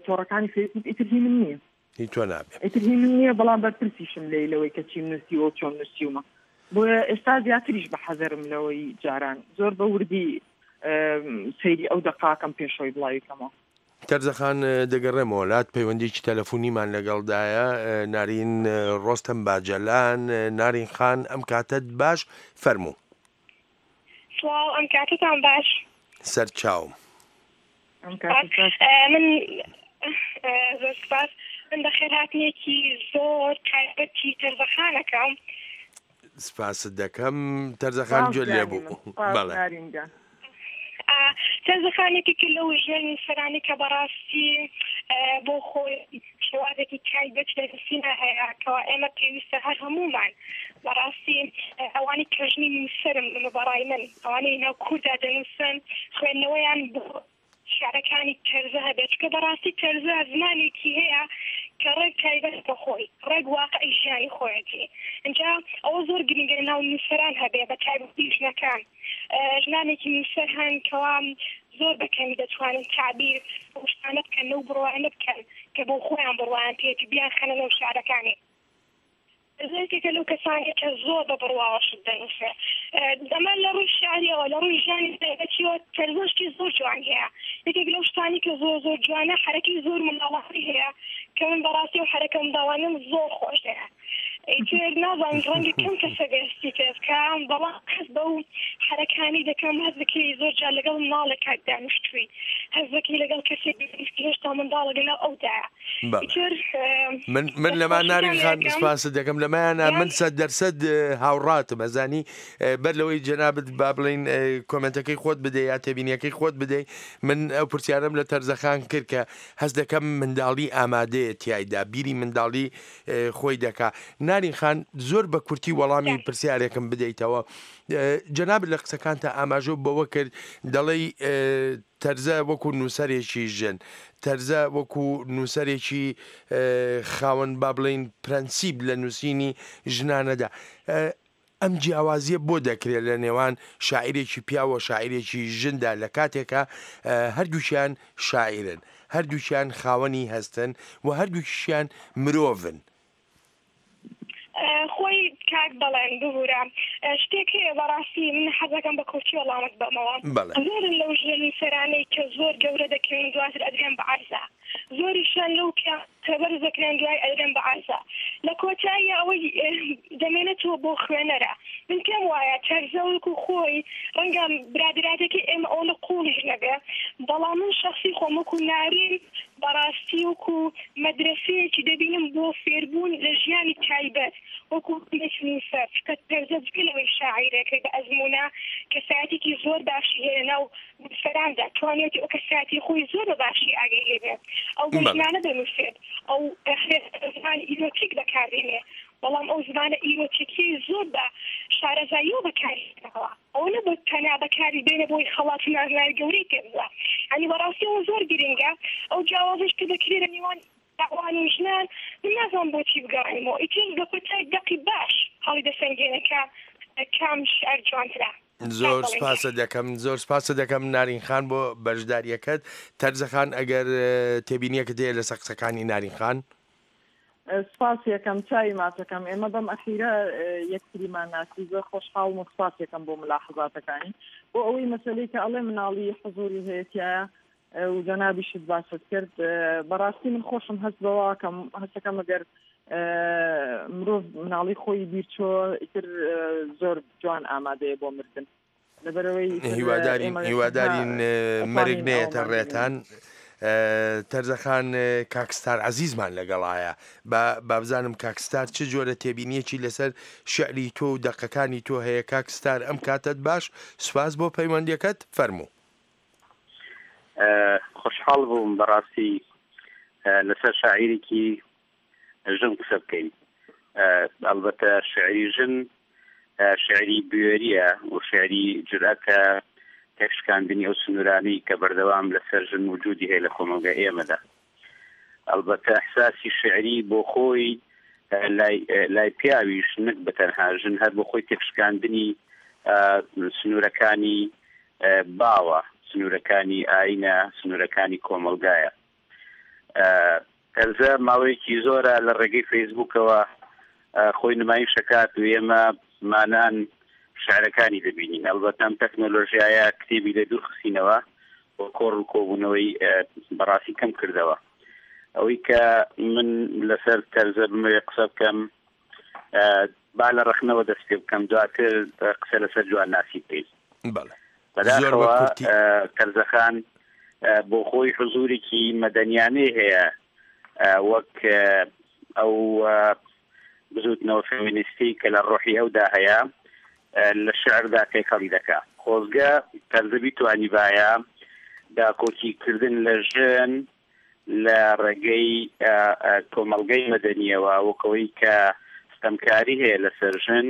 تۆڕەکانی فەیسبوک ئیتر هی من نییە. هی تۆ نابێ. ئیتر هی من نییە بەڵام بەرپرسیشم لێی لەوەی کە چیم نووسیوە و چۆن نووسیومە. بۆیە ئێستا زیاتریش بە حەزەرم لەوەی جاران. زۆر بە وردی سەیری ئەو دەقاکەم پێشەوەی بڵاوی کەمەوە. تەرزەخان دەگەڕێمەوە لات پەیوەندیکی تەلەفونیمان لەگەڵدایە نارین ڕۆستەم باجەلان نارین خان ئەم کاتەت باش فەرموو. سڵاو ئەم کاتەتان باش. سەر چاوم. من زۆر سپاس من بەخێرهاتنێکی زۆر تایبەتی تەرزەخانەکەم. سپاست دەکەم تەرزەخان گوێت لێ بوو بەڵێ. تەرزەخان یەکێکە لەو ژنە نووسەرانەی کە بەڕاستی بۆ خۆی شێوازێکی تایبەت لە نووسینا هەیە کەوا ئێمە پێویستە هەر هەموومان بەڕاستی ئەوانەی کە ژنی نووسەرم ئەمە بەڕای من ئەوانەی ناو کووردا دەنووسن خوێندنەوەیان بۆ شیعرەکانی تەرزە هەبێت چونکە بەڕاستی تەرزە زمانێکی هەیە کە ڕێک تایبەت بە خۆی ڕێک واقعی ژیانی خۆیەتی ئینجا ئەوە زۆر گرنگە لە ناو نووسەران هەبێ بە تایبەتی ژنەکان ژنانێکی نووسەر هەن کەوا زۆر بە کەمی دەتوانن تەعبیر بەو شتانە بکەن لەو بڕوایانە بکەن کە بۆ خۆیان بڕوایان پێیەتی بیانخەنە نێو شیعرەکانی. یەکێکە لەو کەسانەی کە زۆر بە بڕواوە شت دەنووسێ. ئەمە لە ڕووی شیعرییەوە، لە ڕووی ژیانی تایبەتییەوە تەرزە شتی زۆر جوانی هەیە. یەکێک لەو شتانەی کە زۆر زۆر جوانە حەرەکەی زۆر منداڵانەی هەیە کە من بەڕاستی ئەو حەرەکە منداڵانەم زۆر خۆش دەوێ. ئیتر نازانم ڕەنگە کەم کەس هەبێ هەستی پێ بکا، بەڵام هەست بەو حەرەکانەی دەکەم، هەست دەکەی زۆر جار لەگەڵ مناڵێکا دانیشتووی، هەست دەکەی لەگەڵ کەسێک دانیشتووی هێشتا منداڵە لەناو ئەودایە. ئیتر من من لەما نارین خان سپاست دەکەم لەمایانە من سەد دەرسەد هاوڕاتم ئەزانی بەر لەوەی جەنابت با بڵین کۆمنتەکەی خۆت بدەی یا تێبینیەکەی خۆت بدەی من ئەو پرسیارم لە تەرزەخان کرد کە هەست دەکەم منداڵی ئامادەیە تایدا بیری منداڵی خۆی دەکا نارین خان زۆر بە کورتی وەڵامی پرسیارێکم بدەیتەوە جەنابت لە قسەکانتا ئاماژە بەوە کرد دەڵێی تەرزە وەکو نووسەرێکی ژن، تەرزە وەکو نووسەرێکی خاوەن با بڵێین پرەنسیپ لە نووسینی ژنانەدا، ئەم جیاوازییە بۆ دەکرێت لە نێوان شاعیرێکی پیاو و شاعیرێکی ژندا لە کاتێکا هەردووکیان شاعیرن، هەردووکیان خاوەنی هەستن و هەردووکیشیان مرۆڤن؟ خۆی کاک بەڵێن ببورە شتێک هەیە بەڕاستی من حەزەکەم بە کورتی وەڵامت بەمەوە بەڵێ. زۆرن لەو ژنە نووسەرانەی کە زۆر گەورە دەکەون دواتر ئەدرێن بە عەرزە زۆریشیان لەو پیاو کە بەرز دەکرێن دوای ئەدرێن بە عەرزە لە کۆتاییا ئەوەی دەمێنێتەوە بۆ خوێنەرە من پێم وایە تەرزە وەکو خۆی ڕەنگە برادەراتەکەی ئێمە ئەوەندە قوڵیش نەبێ بەڵام من شەخسی خۆم وەکو نارین بەڕاستی وەکو مەدرەسەیەکی دەبینم بۆ فێربوون لە ژیانی تایبەت وەکو هەندێک نووسەر چونکە تەرزە جگە لەوەی شاعیرێکە بە ئەزموونە کەسایەتیکی زۆر باشی هەیە لەناو نووسەراندا توانیویەتی ئەو کەسایەتی خۆی زۆر بە باشی ئاگای لێ بێت ئەو بۆ ژنانە دەنووسێت ئەو زمانی ئیرۆتیک بەکاردێنێ بەڵام ئەو زمانە ئیرۆتیکیەی زۆر بە شارەزاییەوە بەکاری هێناوە. ئەوە نەبوو تەنیا بەکاری بێنێ بۆی خەڵات و نازناوی گەورەی پێ ببا. یانی بەڕاستی ئەوە زۆر گرینگە. ئەو جیاوازیش کە دەکرێ لە نێوان پیاوان و ژنان من نازانم بۆچی بگەڕێنمەوە. ئیتر لە کۆتای دەقی باش هەڵیدەسەنگێنێ کە کام شیعر جوانترە. زۆر سپاست دەکەم زۆر سپاست دەکەم نارین خان بۆ بەشداریەکەت. تەرزە خان ئەگەر تێبینیەکت هەیە لەسەر قسەکانی نارین خان. سپاس یەکەم چاوی ماچەکەم ئێمە بەم ئەخیرە یەکتریمان ناسی زۆر خۆشحاڵم و سپاس یەکەم بۆ ملاحەزاتەکانی بۆ ئەوەی مەسەلەی کە ئەڵێ مناڵی حزوری هەیە تایە و جەنابیشت باست کرد بەڕاستی من خۆشم هەست بەوە کەم هەستەکەم ئەگەر مرۆڤ مناڵی خۆی بیرچۆ ئیتر زۆر جوان ئامادەیە بۆ مردن لەبەرئەوەی هیوادارین هیوادارین مەرگ نەیەتە ڕێتان تەرزەخان کاک ستار عەزیزمان لەگەڵایە با بابزانم کاک ستار چ جۆرە تێبینیەکی لەسەر شعری تۆ و دەقەکانی تۆ هەیە کاک ستار ئەم کاتەت باش سوپاس بۆ پەیوەندیەکەت فەرموو. خۆشحاڵ بووم بەڕاستی لەسەر شاعیرێکی ژن قسە بکەین ئەڵبەتە شعری ژن شعری بوێریە و شعری جورئەتە تێکشکاندنی ئەو سنوورانەی کە بەردەوام لەسەر ژن وجودی هەیە لە کۆمەڵگای ئێمەدا ئەڵبەتە ئەحساسی شعری بۆ خۆی لای لای پیاویش نەک بە تەنها ژن هەر بۆ خۆی تێکشکاندنی سنوورەکانی باوە، سنوورەکانی ئاینە، سنوورەکانی کۆمەڵگایە. تەرزە ماوەیەکی زۆرە لە ڕێگەی فەیسبووکەوە خۆی نمایش ئەکات و ئێمە مانان شعرەکانی دەبینین. ئەڵبەتە ئەم تەکنۆلۆژیایە کتێبی لێ دوور خستینەوە و کۆڕ و کۆبوونەوەی بەڕاستی کەم کردەوە. ئەوەی کە من لەسەر تەرزە بمەوێ قسە بکەم با لە ڕەخنەوە دەست پێ بکەم دواتر قسە لەسەر جوانناسی بکەین. بەڵێ. زۆر بە بەداخەوە کورتی. تەرزەخان بۆ خۆی حزوورێکی مەدەنیانەی هەیە وەک ئەو بزووتنەوە فێمینیستی کە لە ڕۆحی ئەودا هەیە لە شعردا تێکەڵی دەکا. خۆزگە تەرزە بیتوانیبایە داکۆکی کردن لە ژن لە ڕێگەی کۆمەڵگەی مەدەنییەوە وەک ئەوەی کە ستەمکاری هەیە لەسەر ژن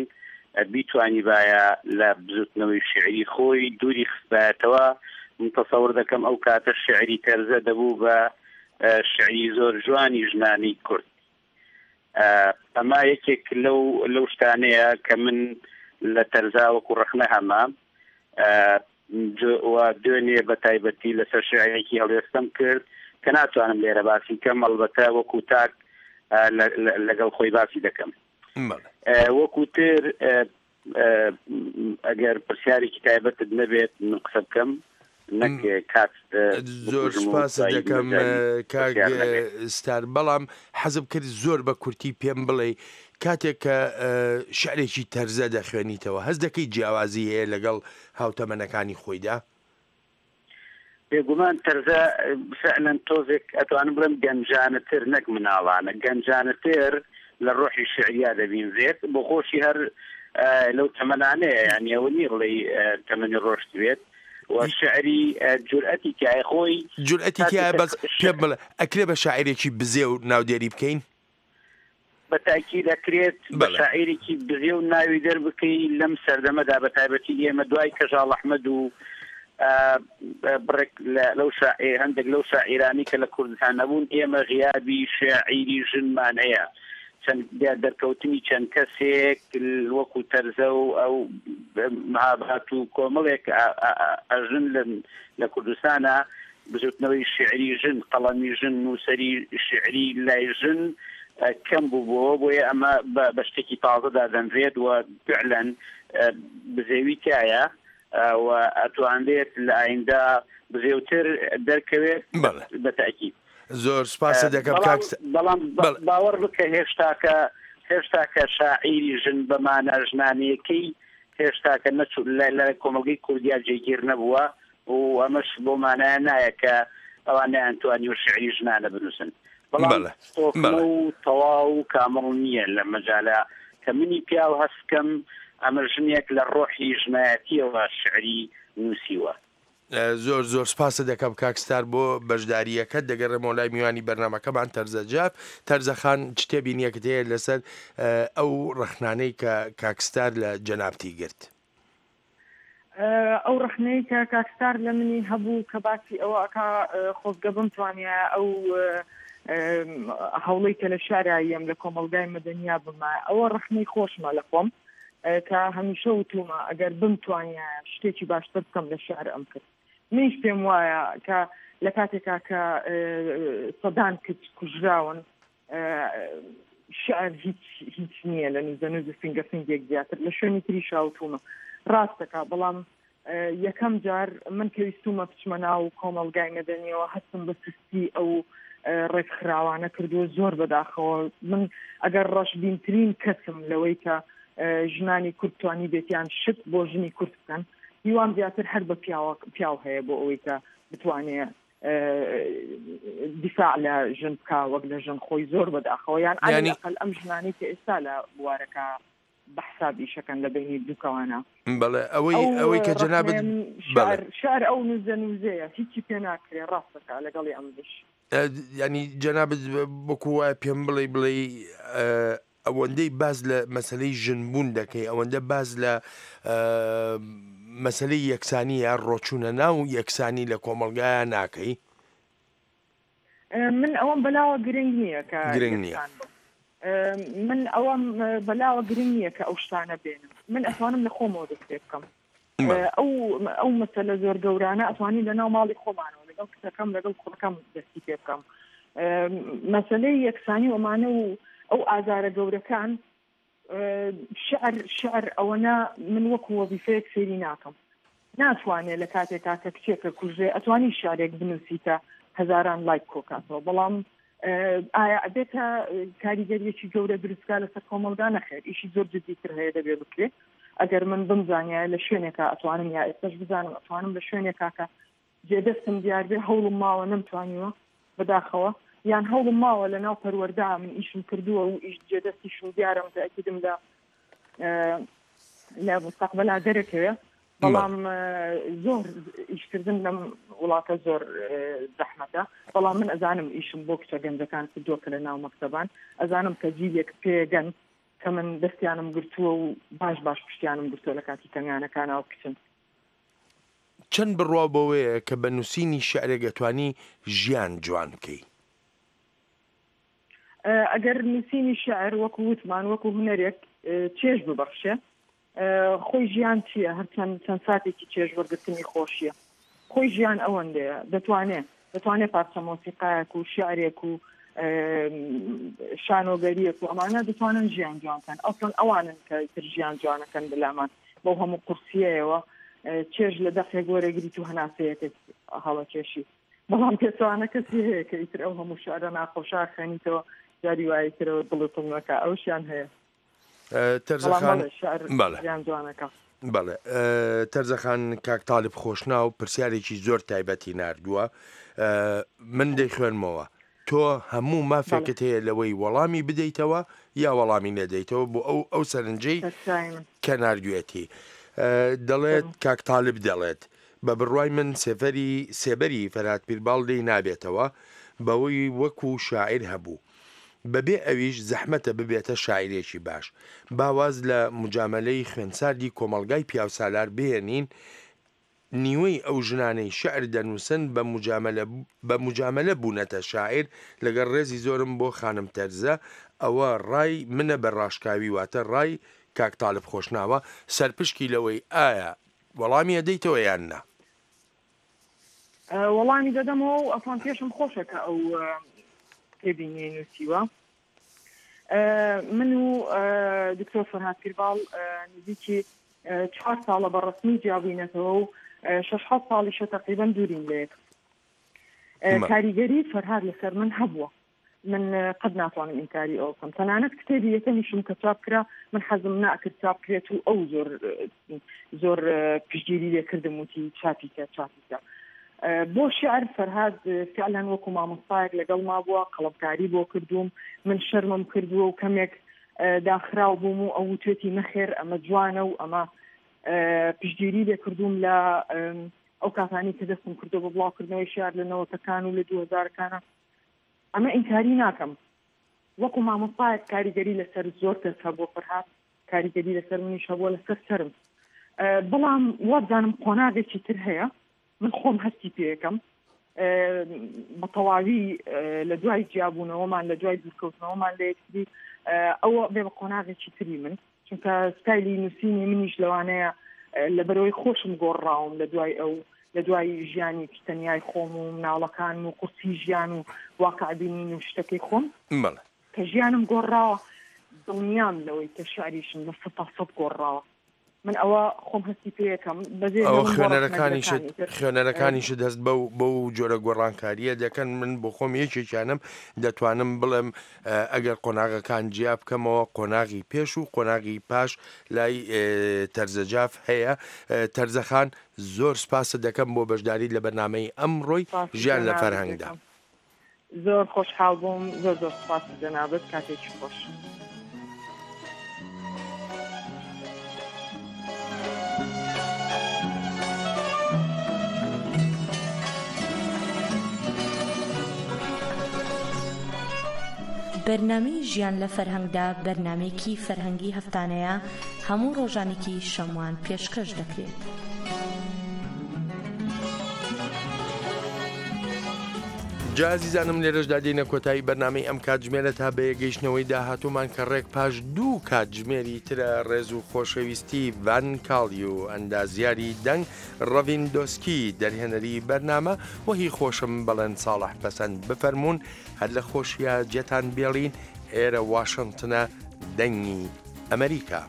بیتوانیبایە لە بزوتنەوەی شیعری خۆی دووری خستبایەتەوە، من تەسەور دەکەم ئەو کاتە شیعری تەرزە دەبوو بە شیعری زۆر جوانی ژنانی کورد. ئەمە یەکێک لەو لەو شتانەیە کە من لە تەرزا وەکو ڕەخنە هەمە و دوێنێ بە تایبەتی لەسەر شعرێکی هەڵوێستەم کرد کە ناتوانم لێرە باسی کەم ئەڵبەتە وەکو تاک لەگەڵ خۆی باسی دەکەم وەکو تر ئەگەر پرسیارێکی تایبەتت نەبێت من قسە بکەم نەک کات زۆر سپاست دەکەم کاک ستار بەڵام حەزم کرد زۆر بە کورتی پێم بڵێ کاتێک کە شعرێکی تەرزە دەخوێنیتەوە هەست دەکەی جیاوازی هەیە لەگەڵ هاوتەمەنەکانی خۆیدا؟ بێگومان تەرزە فعلەن تۆزێک ئەتوانم بڵێم گەنجانەتر نەک مناڵانە گەنجانەتر لە ڕۆحی شعریا دەبینرێت بۆ خۆشی هەر لەو تەمەنانەیە یانی ئەوە نییە بڵێی تەمەنی ڕۆشتبێت و شعری جورئەتی تایە خۆی جورئەتی تایە بەس پێم بڵێ ئەکرێ بە شاعیرێکی بزێو ناودێری بکەین؟ بە تاکید ئەکرێت بە شاعیرێکی بزێو ناوی دەربکەی لەم سەردەمەدا بە تایبەتی ئێمە دوای کەژاڵ ئەحمەد و بڕێک لەو شاعیر هەندێک لەو شاعیرانی کە لە کوردستان نەبوون ئێمە غیابی شاعیری ژنمان هەیە چەند دەرکەوتنی چەند کەسێک وەکو تەرزە و ئەو مهابات و کۆمەڵێک ئەژن لە کوردستانە بزوتنەوەی شیعری ژن، قەڵەمی ژن، نووسەری شیعری لای ژن کەم بووبووەوە، بۆیە ئەمە بە شتێکی تازە دادەنرێت و فعلەن بزێوی تیایە و ئەتوانرێت لە ئایندە بزێوتر دەرکەوێت بە تەئکید. زۆر سوپاست دەکەم کاک س. بەڵام باوەڕ بکە هێشتاکە هێشتاکە شاعیری ژن بە مانا ژنانەیەکەی هێشتاکە نەچوو لە کۆمەڵگەی کوردیا جێگیر نەبووە و ئەمەش بەو مانایە نایە کە ئەوان نەیانتوانیوە شیعری ژنانە بنووسن، بەڵام بەڵێ تۆکمە بەڵێ. و تەواو و کامڵ نییە لە مەجالە کە منی پیاو هەست بکەم ئەمە ژنێک لە ڕۆحی ژنایەتییەوە شیعری نووسیوە. زۆر زۆر سپاست دەکەم کاک ستار بۆ بەشدارییەکەت، دەگەڕێمەوە لای میوانی بەرنامەکەمان تەرزە جاف. تەرزە خان چ تێبینییەکت هەیە لەسەر ئەو ڕەخنانەی کە کاک ستار لە جەنابتی گرت؟ ئەو ڕەخنەی کە کاک ستار لە منی هەبوو کە باسی ئەوە ئەکا خۆزگە بمتوانیایە ئەو هەوڵەی کە لە شارا یەم لە کۆمەڵگای مەدەنیا بمایە ئەوە ڕەخنەی خۆشمە لە خۆم کە هەمیشە وتومە ئەگەر بمتوانیایە شتێکی باشتر بکەم لە شعر ئەم کرد منیش پێم وایە کە لە کاتێکا کە سەدان کچ کوژراون شعر هیچ هیچ نییە لە نوزەنوز و فینگە فینگێک زیاتر لە شوێنی تریشا وتومە ڕاست دەکا بەڵام یەکەم جار من کە ویستومە بچمە ناو کۆمەڵگای مەدەنیەوە هەستم بە سستی ئەو ڕێکخراوانە کردووە زۆر بەداخەوە من ئەگەر ڕەشبینترین کەسم لەوەی کە ژنانی کورد توانی بێتیان شت بۆ ژنی کورد بکەن هیوام زیاتر هەر بە پیاوە پیاو هەیە بۆ ئەوەی کە بتوانێ دیفاع لە ژن بکا وەک لە ژن خۆی زۆر بەداخەوە یان یانی ئەقل ئەم ژنانەی کە ئێستا لە بوارەکە بە حساب ئیشەکەن لە بینی دووکەوانە بەڵێ ئەوەی ئەو ئەوەی کە جەنابت ڕەخنەیە من بەڵێ شعر شعر ئەو نوزە نوزەیە هیچی پێ ناکرێ ڕاستەکە لەگەڵی ئەمنیش ینی جەنابت وەکو وایە پێم بڵێ بڵێ ئەوەندەی باس لە مەسەلەی ژن بوون دەکەی ئەوەندە باس لە مەسەلەی یەکسانی یا ڕۆچوونە ناو یەکسانی لە کۆمەڵگایا ناکەی؟ من ئەوەم بەلاوە گرنگ نییە کە گرنگ نییە. یەکسان بم. من ئەوەم بەلاوە گرنگ نییە کە ئەو شتانە بێنم من ئەتوانم لە خۆمەوە دەست پێ بکەم ئەو ئەو مەسەلە زۆر گەورانە ئەتوانین لە ناو ماڵی خۆمانەوە لەگەڵ کچەکەم لەگەڵ کوڕەکەم دەستی پێ بکەم مەسەلەی یەکسانی و ئەمانە و ئەو ئازارە گەورەکان شعر شعر ئەوەنە من وەکو وەزیفەیەک سەیری ناکەم ناتوانێ لە کاتێکا کە کچێکە کوژرێ ئەتوانی شعرێک بنووسی کە هەزاران لایک کۆکاتەوە بەڵام ئایا ئەبێتە کاریگەریەکی گەورە دروستکا لەسەر کۆمەڵگا نەخێر ئیشی زۆر جدیتر هەیە دەبێ بکرێ ئەگەر من بمزانیایە لە شوێنێکا ئەتوانم یا ئێستاش بزانم ئەتوانم لە شوێنێکا کە جێدەستم دیار بێ هەوڵم ماوە نەمتوانیوە بەداخەوە یان هەوڵم ماوە لە ناو پەروەردە من ئیشم کردووە و ئیش جێدەستیشم دیارە متەئەکیدم لە لە مستەقبەلا دەرەکەوێ بەڵام زۆر ئیشکردن لەم وڵاتە زۆر زەحمەتە بەڵام من ئەزانم ئیشم بۆ کچە گەنجەکان کردووە کە لە ناو مەکتەبان ئەزانم کە جیلێک پێگەن کە من دەستیانم گرتووە و باش باش پشتیانم گرتووە لە کاتی تەنگانەکانەوە کچن. چەند بڕوا بەوەیە کە بە نووسینی شیعرێک ئەتوانی ژیان جوان بکەی؟ ئەگەر نووسینی شیعر وەکو وتمان وەکو هونەرێک چێژ ببەخشێ خۆی ژیان چییە؟ هەر چەند چەند ساتێکی چێژ وەرگرتنی خۆشییە. خۆی ژیان ئەوەندەیە. دەتوانێ دەتوانێ پارچە مۆسیقایەک و شیعرێک و شانۆگەرییەک و ئەمانە دەتوانن ژیان جوان کەن. ئەسڵەن ئەوانن کە ئیتر ژیان جوانەکەن بەلامان بەو هەموو قورسییەیەوە چێژ لە دەقێک وەرەگریت و هەناسەیەکت هەڵەکێشی. بەڵام پێچەوانە کەسی هەیە کە ئیتر ئەو هەموو شعرە ناخۆشە خوێنیتەوە جاری وایە ترەوە دڵت دڵ نەکا ئەوشیان هەیە. تەرزەخان بەڵێ تەرزەخان کاک تاالب خۆشناو پرسیارێکی زۆر تایبەتی نردووە من دەیخوێنمەوە تۆ هەموو مافێکت هەیە لەوەی وەڵامی بدەیتەوە یا وەڵامی نەدەیتەوە بۆ ئەو ئەو سەرنجەی کە نردوێتی دەڵێت کاک تاالب دەڵێت بە بڕوای من سێفەری سێبەری فەرهاد پیرباڵ لێی نابێتەوە بەوەی وەکو شاعیر هەبوو بەبێ ئەویش زەحمەتە ببێتە شاعیرێکی باش. با واز لە موجامەلەی خوێنساردی کۆمەڵگای پیاوسالار بهێنین، نیوەی ئەو ژنانەی شیعر دەنووسن بە موجامەلە بە موجامەلە بوونەتە شاعیر، لەگەڵ ڕێزی زۆرم بۆ خانم تەرزە، ئەوە ڕای منە بە ڕاشکاوی واتە ڕای کاک تالب خۆشناوە، سەرپشکی لەوەی ئایا وەڵامی ئەدەیتەوە یان نا؟ وەڵامی دەدەمەوە و ئەسڵەن پێشم خۆشە کە ئەو تێبینیەی نووسیوە. من و دکتۆر فەرهاد پیرباڵ نزیکی چوار ساڵە بە ڕەسمی جیابووینەتەوە و شەش حەوت ساڵیشە تەقریبەن دوورین لە یەک. کاریگەری فەرهاد لەسەر من هەبووە. من قەت ناتوانم ئینکاری ئەوە بکەم تەنانەت کتێبی یەکەمیشم کە چاپ کرا من حەزم ناکرد چاپ کرێت و ئەو زۆر زۆر پشتگیری لێ کردم وتی چاپی کە چاپی کە بۆ شعر فەرهاد فعلا وەکو مامۆستایەک لەگەڵ ما بووە قەڵەمکاری بۆ کردووم من شەرمم کردووە و کەمێک داخراو بووم و ئەو وتێتی نەخێر ئەمە جوانە و ئەمە پشتگیری لێ کردووم لە ئەو کاتانی کە دەستم کردو بە بڵاوکردنەوەی شعر لە نەوەتەکان و لە دوهزارەکانە ئەمە ئینکاری ناکەم وەکو مامۆستایەک کاریگەری لەسەر زۆر کەس هەبووە فەرهاد کاریگەری لەسەر منیش هەبووە لەسەر سەرم بەڵام وابزانم قۆناغێکی تر هەیە من خۆم هەستی پێەکەم بە تەواوی لە دوای جیابوونەوەمان لە دوای دوورکەوتنەوەمان لە یەکتری ئەوە بێ بە قۆناغێکی تری من چونکە ستایلی نووسینی منیش لەوانەیە لەبەرەوەی خۆشم گۆڕراوم لە دوای ئەو لە دوای ژیانی تەنیای خۆم و مناڵەکانم و قورسی ژیان و واقع بینین و شتەکەی خۆم بەڵێ کە ژیانم گۆڕراوە دڵنیام لەوەی کە شعریشم لە 100% گۆڕراوە من ئەوە خۆم هەستی پێیەکەم بەجێ ئەوە هێڵم بۆ خوێنەرەکانیشت ڕەخنەگرەکانی تر خوێنەرەکانیشت هەست بەو بەو جۆرە گۆڕانکارییە دەکەن من بۆ خۆم یەکێکیانم دەتوانم بڵێم ئەگەر قۆناغەکان جیا بکەمەوە قۆناغی پێش و قۆناغی پاش لای تەرزەجاف هەیە تەرزەخان زۆر سپاست دەکەم بۆ بەشداریت لە بەرنامەی ئەمڕۆی سپاسی ژیان لە جەنابت فەرهەنگدا. دەکەم زۆر خۆشحاڵ بووم زۆر زۆر سپاسی جەنابت کاتێکی خۆش. بەرنامەی ژیان لە فەرهەنگدا بەرنامەیەکی فەرهەنگی هەفتانەیە هەموو ڕۆژانێکی شەموان پێشکەش دەکرێت. جا ئازیزانم لێرەشدا دێینە کۆتایی بەرنامەی ئەم کاتژمێرە تا بەیەگەیشتنەوەی داهاتوومان کە ڕێک پاش دوو کاتژمێری ترە ڕێز و خۆشەویستی ڤان کاڵیو ئەندازیاری دەنگ ڕەڤین دۆسکی دەرهێنەری بەرنامە و هی خۆشم بەڵێن ساڵح پەسەند بفەرموون هەر لە خۆشیا جێتان بێڵین ئێرە واشنتنە دەنگی ئەمریکا.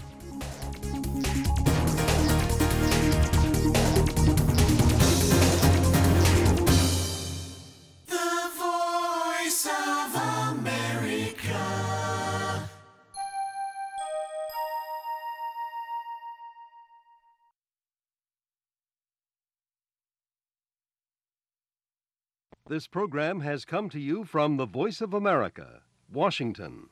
This program has come to you from the Voice of America, Washington.